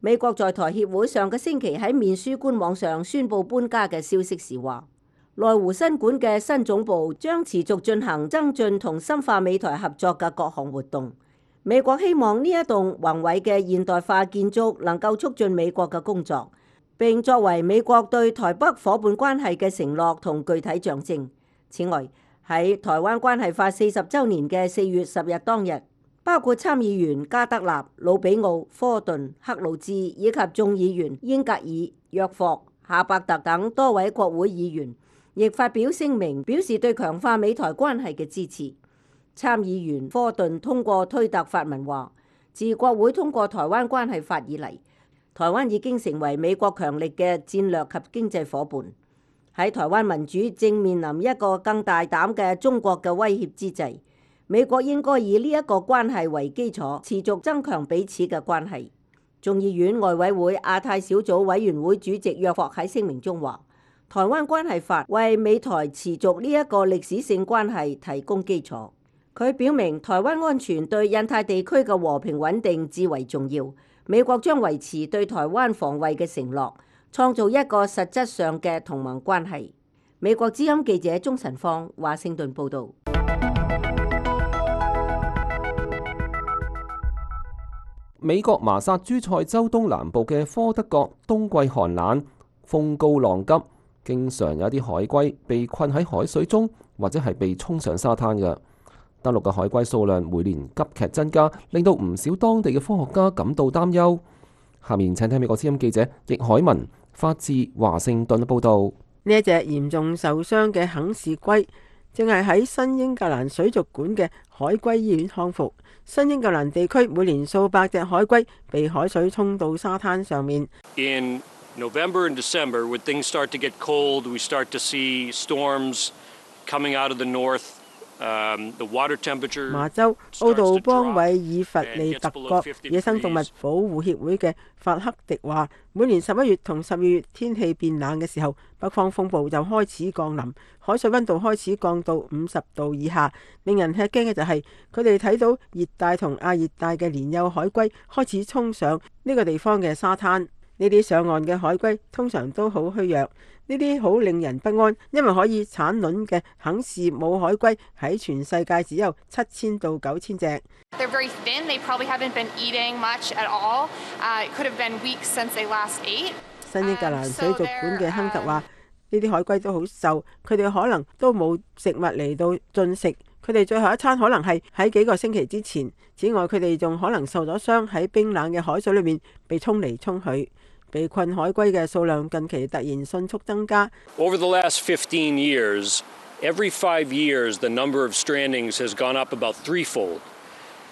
美國在台協會上個星期喺面書官網上宣布搬家嘅消息時話，內湖新館嘅新總部將持續進行增進同深化美台合作嘅各項活動。美國希望呢一棟宏偉嘅現代化建築能夠促進美國嘅工作，並作為美國對台北夥伴關係嘅承諾同具體象徵。此外，喺台灣關係法四十週年嘅四月十日當日，包括參議員加德納、魯比奧、科頓、克魯茲以及眾議員英格爾、約霍、夏伯特等多位國會議員，亦發表聲明表示對強化美台關係嘅支持。參議員科頓通過推特發文話，自國會通過台灣關係法以嚟，台灣已經成為美國強力嘅戰略及經濟夥伴。喺台灣民主正面臨一個更大膽嘅中國嘅威脅之際，美國應該以呢一個關係為基礎，持續增強彼此嘅關係。眾議院外委會亞太小組委員會主席約霍喺聲明中話，台灣關係法為美台持續呢一個歷史性關係提供基礎。佢表明台灣安全對印太地區嘅和平穩定至為重要，美國將維持對台灣防衛嘅承諾，創造一個實質上嘅同盟關係。美國之音記者鍾晨芳華盛頓報導。美國麻薩諸塞州東南部嘅科德角冬季寒冷，風高浪急，經常有啲海龜被困喺海水中，或者係被沖上沙灘嘅。登陸嘅海龜數量每年急劇增加，令到唔少當地嘅科學家感到擔憂。下面請聽美國之音記者易海文發自華盛頓報導。呢一隻嚴重受傷嘅肯氏龜正係喺新英格蘭水族館嘅海龜醫院康復。新英格蘭地區每年數百隻海龜被海水沖到沙灘上面。In November and December, when things start to get cold, we start to see storms coming out of the north. Um, the water temperature 麻州奧杜邦韋爾弗利特國野生動物保護協會嘅法克迪話，每年十一月同十二月天氣變冷嘅時候，北方風暴就開始降臨，海水溫度開始降到五十度以下。令人吃驚嘅就係佢哋睇到熱帶同亞熱帶嘅年幼海龜開始衝上呢個地方嘅沙灘。呢啲上岸嘅海龜通常都好虛弱，呢啲好令人不安，因為可以產卵嘅肯氏母海龜喺全世界只有七千到九千隻。They're very thin. They probably haven't been eating much at all. Uh, it could have been weeks since they last ate. 新英格蘭水族館嘅亨特話：呢啲海龜都好瘦，佢哋可能都冇食物嚟到進食。佢哋最後一餐可能係喺幾個星期之前。此外，佢哋仲可能受咗傷，喺冰冷嘅海水裏面被沖嚟沖去。被困海龜嘅數量近期突然迅速增加。Over the last fifteen years, every five years, the number of strandings has gone up about threefold.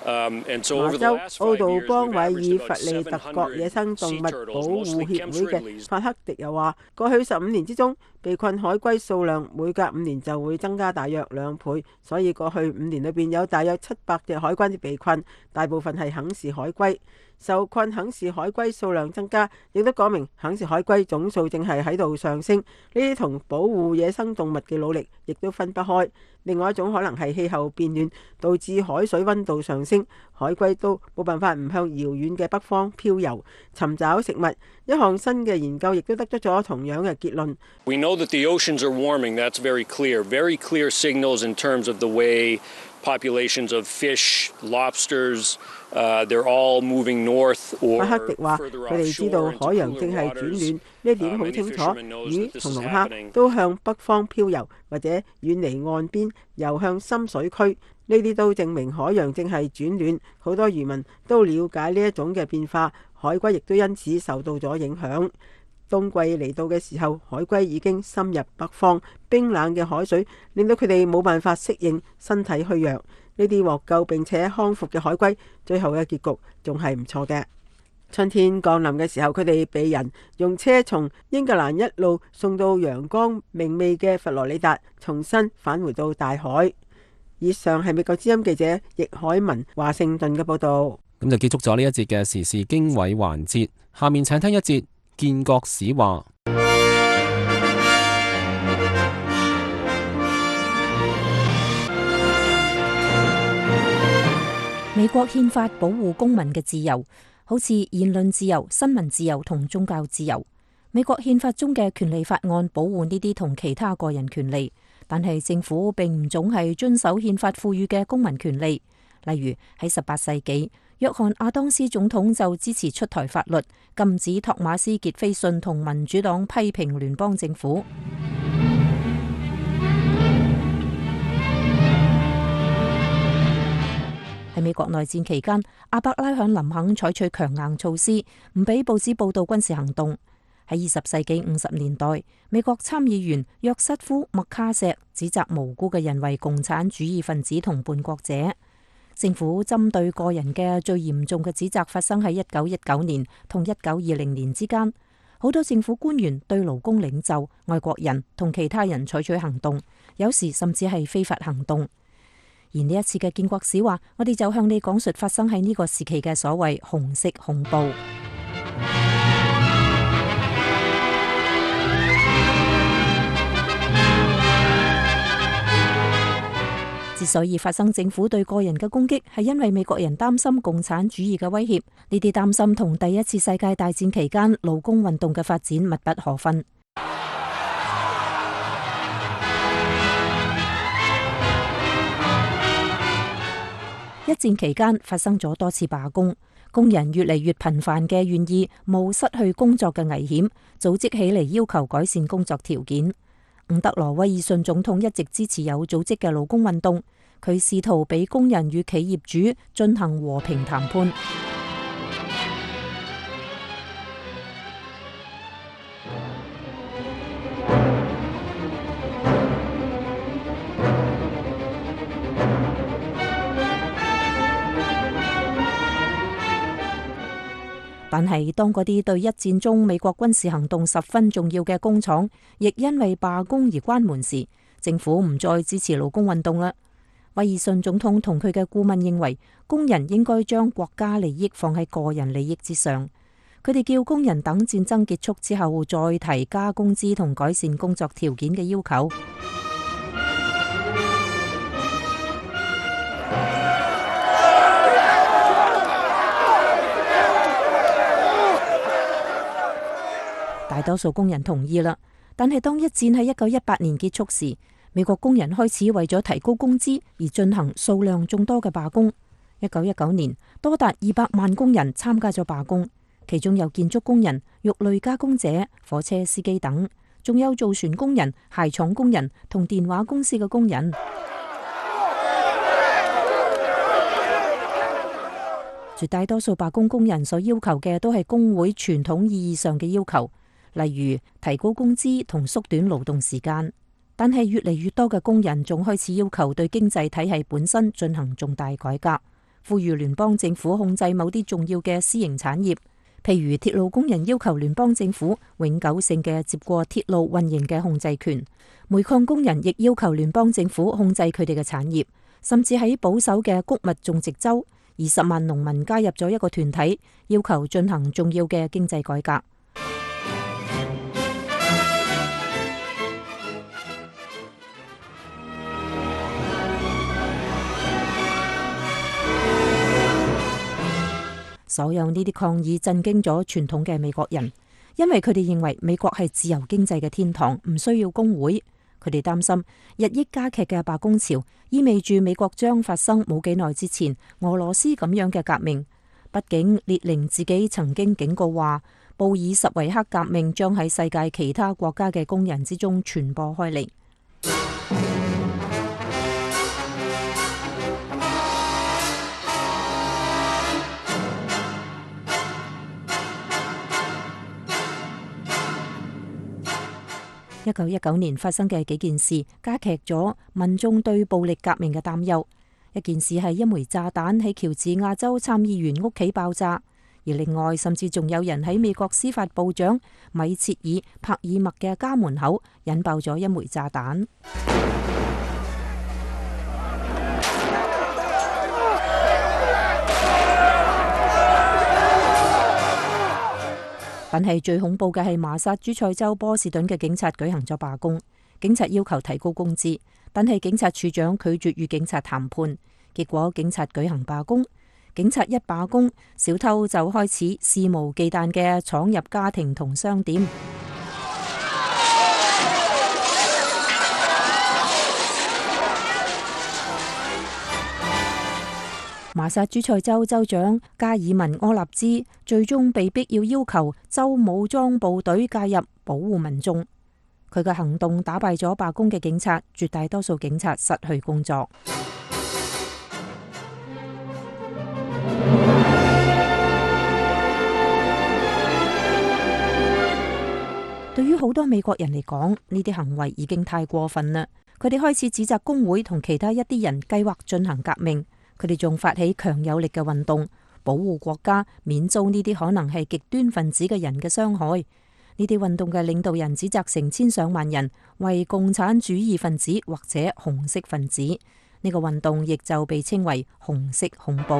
Um, and so over the last five years, 麻州奧杜邦韋爾弗利特國野生動物保護協會嘅法克迪又話，過去十五年之中，被困海龜數量每隔五年就會增加大約兩倍，所以過去五年裏邊有大約七百隻海龜被困，大部分係肯氏海龜。受困肯氏海龜數量增加，亦都講明肯氏海龜總數正係喺度上升。呢啲同保護野生動物嘅努力亦都分不開。另外一種可能係氣候變暖導致海水溫度上升，海龜都冇辦法唔向遙遠嘅北方漂遊尋找食物。一項新嘅研究亦都得出咗同樣嘅結論。We know that the oceans are warming. That's very clear. Very clear signals in terms of the way populations of fish, lobsters, uh, they're all moving north or further offshore. 法克迪話：佢哋知道海洋正係轉暖，呢點好清楚。魚同龍蝦都向北方漂遊，或者遠離岸邊遊向深水區。呢啲都證明海洋正係轉暖。好多漁民都了解呢一種嘅變化，海龜亦都因此受到咗影響。冬季嚟到嘅時候，海龜已經深入北方，冰冷嘅海水令到佢哋冇辦法適應，身體虛弱。呢啲獲救並且康復嘅海龜，最後嘅結局仲係唔錯嘅。春天降臨嘅時候，佢哋被人用車從英格蘭一路送到陽光明媚嘅佛羅里達，重新返回到大海。以上係美國之音記者易海文華盛頓嘅報導。咁就結束咗呢一節嘅時事經緯環節，下面請聽一節建國史話。美國憲法保護公民嘅自由，好似言論自由、新聞自由同宗教自由。美國憲法中嘅權利法案保護呢啲同其他個人權利，但係政府並唔總係遵守憲法賦予嘅公民權利。例如喺十八世紀，約翰亞當斯總統就支持出台法律，禁止托馬斯傑斐遜同民主黨批評聯邦政府。喺美國內戰期間，阿伯拉罕林肯採取強硬措施，唔俾報紙報道軍事行動。喺二十世紀五十年代，美國參議員約瑟夫麥卡錫指責無辜嘅人為共產主義分子同叛國者。政府針對個人嘅最嚴重嘅指責發生喺一九一九年同一九二零年之間，好多政府官員對勞工領袖、外國人同其他人採取行動，有時甚至係非法行動。而呢一次嘅建國史話，我哋就向你講述發生喺呢個時期嘅所謂紅色恐怖。之所以發生政府對個人嘅攻擊，係因為美國人擔心共產主義嘅威脅。呢啲擔心同第一次世界大戰期間勞工運動嘅發展密不可分。一戰期間發生咗多次罷工，工人越嚟越頻繁嘅願意冒失去工作嘅危險，組織起嚟要求改善工作條件。伍德羅威爾遜總統一直支持有組織嘅勞工運動，佢試圖俾工人與企業主進行和平談判。但係當嗰啲對一戰中美國軍事行動十分重要嘅工廠，亦因為罷工而關門時，政府唔再支持勞工運動啦。威爾遜總統同佢嘅顧問認為，工人應該將國家利益放喺個人利益之上。佢哋叫工人等戰爭結束之後再提加工資同改善工作條件嘅要求。大多數工人同意啦，但係當一戰喺一九一八年結束時，美國工人開始為咗提高工資而進行數量眾多嘅罷工。一九一九年，多達二百萬工人參加咗罷工，其中有建築工人、肉類加工者、火車司機等，仲有造船工人、鞋廠工人同電話公司嘅工人。絕大多數罷工工人所要求嘅都係工會傳統意義上嘅要求，例如提高工資同縮短勞動時間。但係越嚟越多嘅工人仲開始要求對經濟體系本身進行重大改革，呼籲聯邦政府控制某啲重要嘅私營產業，譬如鐵路工人要求聯邦政府永久性嘅接過鐵路運營嘅控制權，煤礦工人亦要求聯邦政府控制佢哋嘅產業，甚至喺保守嘅穀物種植州，二十萬農民加入咗一個團體，要求進行重要嘅經濟改革。所有呢啲抗議震驚咗傳統嘅美國人，因為佢哋認為美國係自由經濟嘅天堂，唔需要工會。佢哋擔心日益加劇嘅罷工潮意味住美國將發生冇幾耐之前俄羅斯咁樣嘅革命。畢竟列寧自己曾經警告話，布爾什維克革命將喺世界其他國家嘅工人之中傳播開嚟。一九一九年發生嘅幾件事加劇咗民眾對暴力革命嘅擔憂。一件事係一枚炸彈喺喬治亞州參議員屋企爆炸，而另外甚至仲有人喺美國司法部長米切爾帕爾默嘅家門口引爆咗一枚炸彈。但係最恐怖嘅係麻薩諸塞州波士頓嘅警察舉行咗罷工，警察要求提高工資，但係警察處長拒絕與警察談判，結果警察舉行罷工。警察一罷工，小偷就開始肆無忌憚嘅闖入家庭同商店。麻薩諸塞州州長加爾文柯納茲最終被逼要要求州武裝部隊介入保護民眾。佢嘅行動打敗咗罷工嘅警察，絕大多數警察失去工作。對於好多美國人嚟講，呢啲行為已經太過分啦。佢哋開始指責工會同其他一啲人計劃進行革命。佢哋仲發起強有力嘅運動，保護國家免遭呢啲可能係極端分子嘅人嘅傷害。呢啲運動嘅領導人指責成千上萬人為共產主義分子或者紅色分子，呢個運動亦就被稱為紅色恐怖。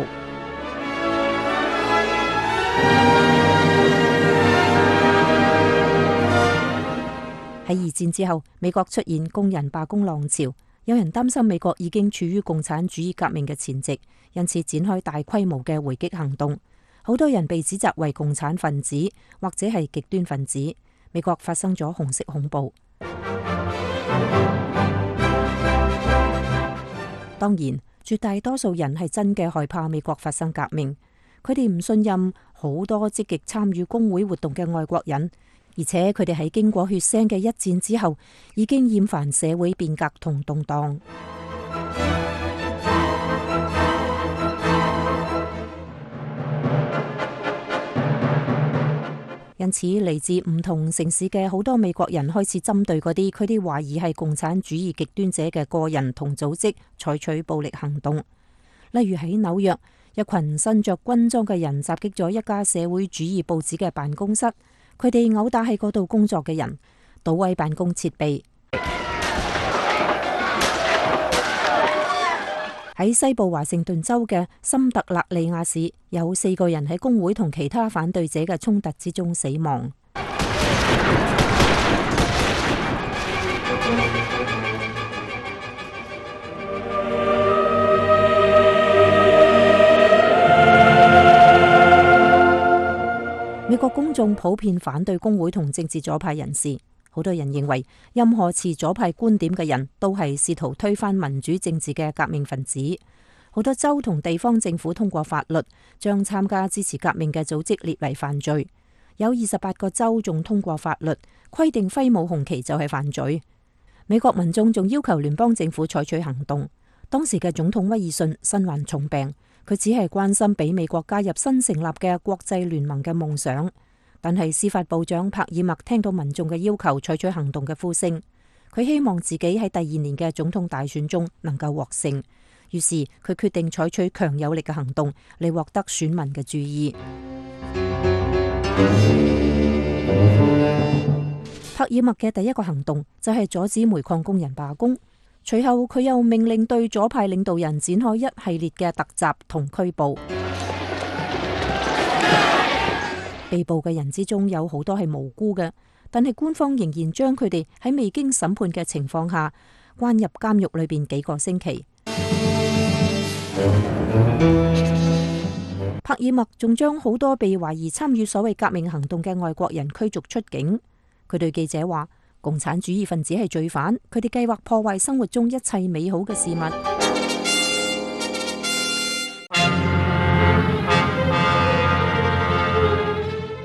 喺二戰之後，美國出現工人罷工浪潮，有人擔心美國已經處於共產主義革命嘅前夕，因此展開大規模嘅回擊行動。好多人被指責為共產分子或者係極端分子，美國發生咗紅色恐怖。當然，絕大多數人係真嘅害怕美國發生革命，佢哋唔信任好多積極參與工會活動嘅外國人，而且佢哋喺經過血腥嘅一戰之後，已經厭煩社會變革同動盪。因此，嚟自唔同城市嘅好多美國人開始針對嗰啲佢哋懷疑係共產主義極端者嘅個人同組織採取暴力行動。例如喺紐約，一群身着軍裝嘅人襲擊咗一家社會主義報紙嘅辦公室，佢哋毆打喺嗰度工作嘅人，搗毀辦公設備。喺西部華盛頓州嘅森特勒利亞市，有四個人喺工會同其他反對者嘅衝突之中死亡。美國公眾普遍反對工會同政治左派人士。好多人認為，任何持左派觀點嘅人都係試圖推翻民主政治嘅革命分子。好多州同地方政府通過法律，將參加支持革命嘅組織列為犯罪。有二十八個州仲通過法律，規定揮舞紅旗就係犯罪。美國民眾仲要求聯邦政府採取行動。當時嘅總統威爾遜身患重病，佢只係關心俾美國加入新成立嘅國際聯盟嘅夢想。但係司法部長帕爾默聽到民眾嘅要求採取行動嘅呼聲，佢希望自己喺第二年嘅總統大選中能夠獲勝，於是佢決定採取強有力嘅行動嚟獲得選民嘅注意。帕爾默嘅第一個行動就係阻止煤礦工人罷工，隨後佢又命令對左派領導人展開一系列嘅突襲同拘捕。被捕嘅人之中有好多係無辜嘅，但係官方仍然將佢哋喺未經審判嘅情況下關入監獄裏邊幾個星期。帕爾默仲將好多被懷疑參與所謂革命行動嘅外國人驅逐出境。佢對記者話：共產主義分子係罪犯，佢哋計劃破壞生活中一切美好嘅事物。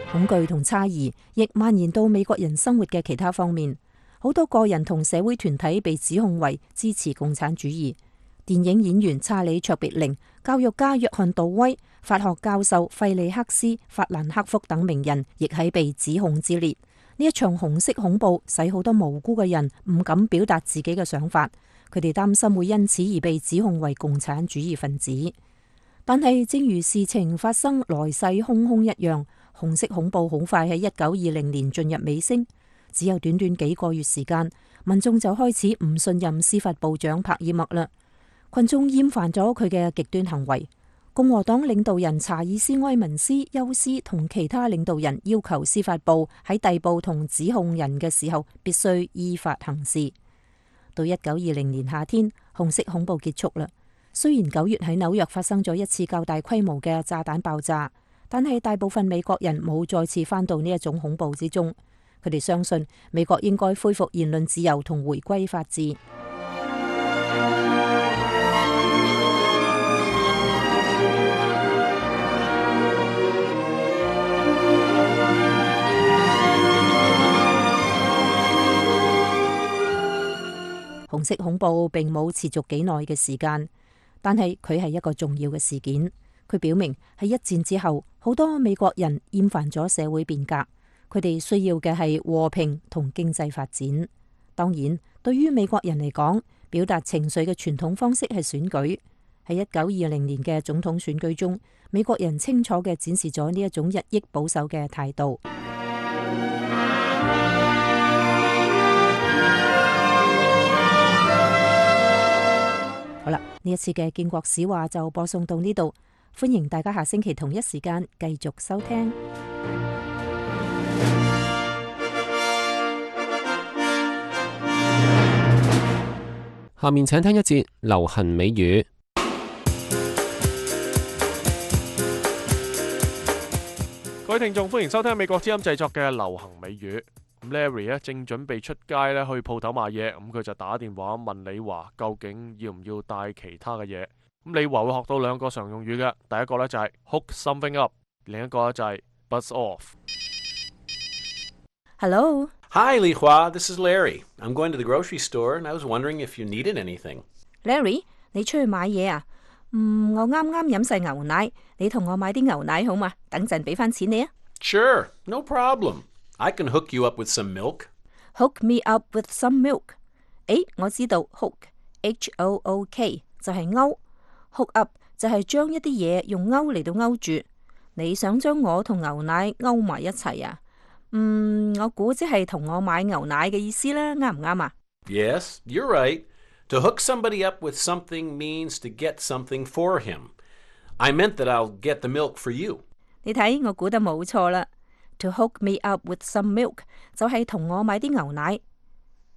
恐懼同猜疑亦蔓延到美國人生活嘅其他方面，好多個人同社會團體被指控為支持共產主義。電影演員查理卓別靈、教育家約翰杜威、法學教授費利克斯法蘭克福等名人亦喺被指控之列。呢一場紅色恐怖使好多無辜嘅人唔敢表達自己嘅想法，佢哋擔心會因此而被指控為共產主義分子。但係正如事情發生來勢洶洶一樣，紅色恐怖好快喺一九二零年進入尾聲，只有短短幾個月時間，民眾就開始唔信任司法部長帕爾默啦。群眾厭煩咗佢嘅極端行為。共和黨領導人查爾斯埃文斯休斯同其他領導人要求司法部喺逮捕同指控人嘅時候必須依法行事。到一九二零年夏天，紅色恐怖結束啦。雖然九月喺紐約發生咗一次較大規模嘅炸彈爆炸，但係大部分美國人冇再次返到呢一種恐怖之中。佢哋相信美國應該恢復言論自由同回歸法治。紅色恐怖並冇持續幾耐嘅時間，但係佢係一個重要嘅事件。佢表明喺一戰之後，好多美國人厭煩咗社會變革，佢哋需要嘅係和平同經濟發展。當然，對於美國人嚟講，表達情緒嘅傳統方式係選舉。喺一九二零年嘅總統選舉中，美國人清楚嘅展示咗呢一種日益保守嘅態度。好啦，呢一次嘅建國史話就播送到呢度，歡迎大家下星期同一時間繼續收聽。下面請聽一節流行美語。各位聽眾，歡迎收聽美國之音製作嘅流行美語。咁 Larry 咧正準備出街咧去鋪頭買嘢，咁佢就打電話問李華究竟要唔要帶其他嘅嘢。咁李華會學到兩個常用語嘅，第一個咧就係 hook something up， 另一個咧就係 buzz off。Hello。Hi, Li Hua. This is Larry. I'm going to the grocery store, and I was wondering if you needed anything. Larry， 你出去買嘢啊？嗯，我啱啱飲晒牛奶，你同我買啲牛奶好嘛？等陣俾翻錢你啊。Sure, no problem. I can hook you up with some milk. Hook me up with some milk. 誒，我知道 hook，H O O K 就係勾 ，hook up 就係將一啲嘢用勾嚟到勾住。你想將我同牛奶勾埋一齊啊？嗯，我估即係同我買牛奶嘅意思啦，啱唔啱啊？ Yes, you're right. To hook somebody up with something means to get something for him. I meant that I'll get the milk for you. 你睇，我估得冇錯啦。To hook me up with some milk 就係同我買啲牛奶。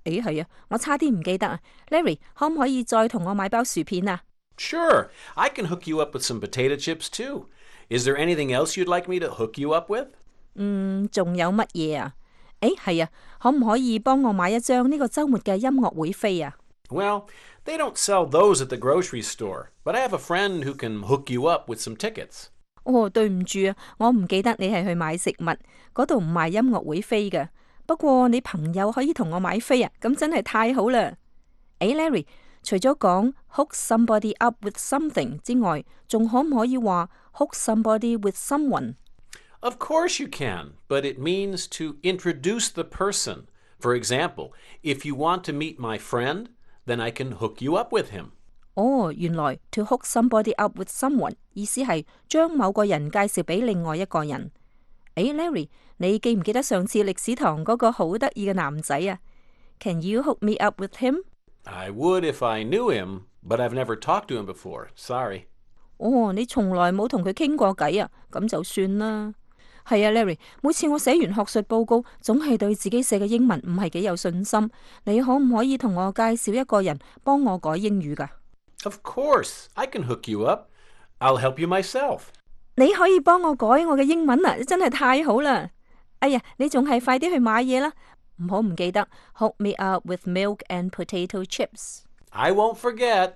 誒，係啊，我差啲唔記得啊。Larry， 可唔可以再同我買包薯片啊？ Sure, I can hook you up with some potato chips too. Is there anything else you'd like me to hook you up with? 嗯，仲有乜嘢啊？誒，係啊，可唔可以幫我買一張呢個週末嘅音樂會飛啊？ Well, they don't sell those at the grocery store, but I have a friend who can hook you up with some tickets. 哦，對唔住啊，我唔記得你係去買食物，嗰度唔賣音樂會飛嘅。不過你朋友可以同我買飛啊，咁真係太好啦！誒 ，Larry， 除咗講 hook somebody up with something 之外，仲可唔可以話 hook somebody with someone？Of course you can, but it means to introduce the person. For example, if you want to meet my friend, then I can hook you up with him. 哦，原來 to hook somebody up with someone 意思係將某個人介紹俾另外一個人。誒 ，Larry， 你記唔記得上次歷史堂嗰個好得意嘅男仔啊？ Can you hook me up with him? I would if I knew him, but I've never talked to him before. Sorry. 哦，你從來冇同佢傾過偈啊？咁就算啦。係啊 ，Larry， 每次我寫完學術報告，總係對自己寫嘅英文唔係幾有信心。你可唔可以同我介紹一個人幫我改英語㗎？ Of course, I can hook you up. I'll help you myself. 你可以幫我改我嘅英文啊！真係太好啦！哎呀，你仲係快啲去買嘢啦，唔好唔記得 hook me up with milk and potato chips. I won't forget.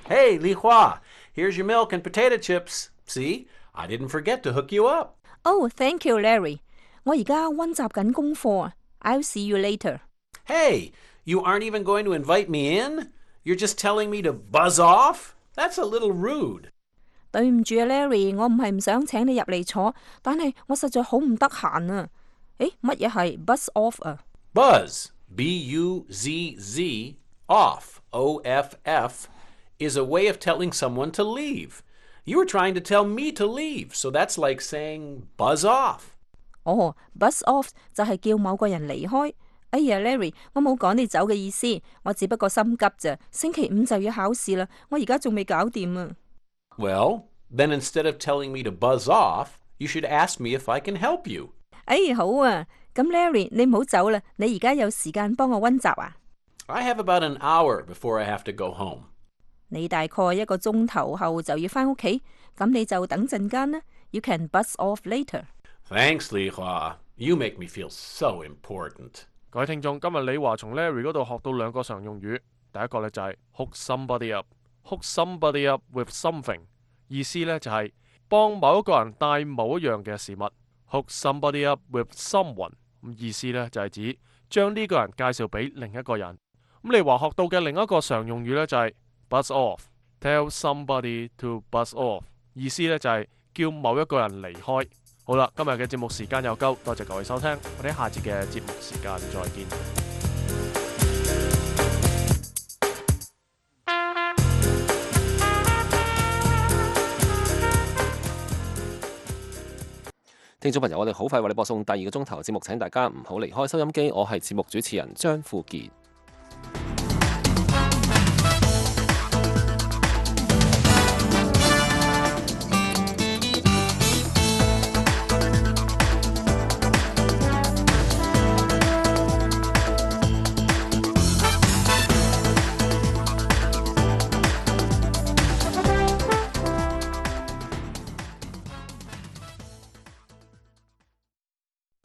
Hey, Li Hua, here's your milk and potato chips. See, I didn't forget to hook you up. Oh, thank you, Larry. 我而家溫習緊功課啊。I'll see you later. Hey, you aren't even going to invite me in? You're just telling me to buzz off? That's a little rude. 對唔住啊 ，Larry， 我唔係唔想請你入嚟坐，但係我實在好唔得閒啊。誒，乜嘢係 buzz off 啊 ？Buzz, B U Z Z, off, O F F, is a way of telling someone to leave. You were trying to tell me to leave, so that's like saying buzz off. 哦 ，buzz off 就係叫某個人離開。哎呀 ，Larry， 我冇趕你走嘅意思，我只不過心急咋。星期五就要考試啦，我而家仲未搞掂啊。Well, then instead of telling me to buzz off, you should ask me if I can help you. 哎，好啊，咁 Larry， 你唔好走啦，你而家有時間幫我溫習啊？ I have about an hour before I have to go home. 你大概一個鐘頭後就要返屋企，咁你就等陣間啦。You can buzz off later. Thanks, Li Hua. You make me feel so important. 各位聽眾，今日李華從 Larry 嗰度學到兩個常用語，第一個咧就係 hook somebody up。hook somebody up with something， 意思咧就係幫某一個人帶某一樣嘅事物。hook somebody up with someone， 咁意思咧就係指將呢個人介紹俾另一個人。咁李華學到嘅另一個常用語咧就係 buzz off。tell somebody to buzz off， 意思咧就係叫某一個人離開。好啦，今日嘅節目時間又夠，多謝各位收聽，我哋下節嘅節目時間再見。聽眾朋友，我哋好快為你播送第二個鐘頭節目，請大家唔好離開收音機。我係節目主持人張富傑。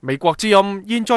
美國之音現在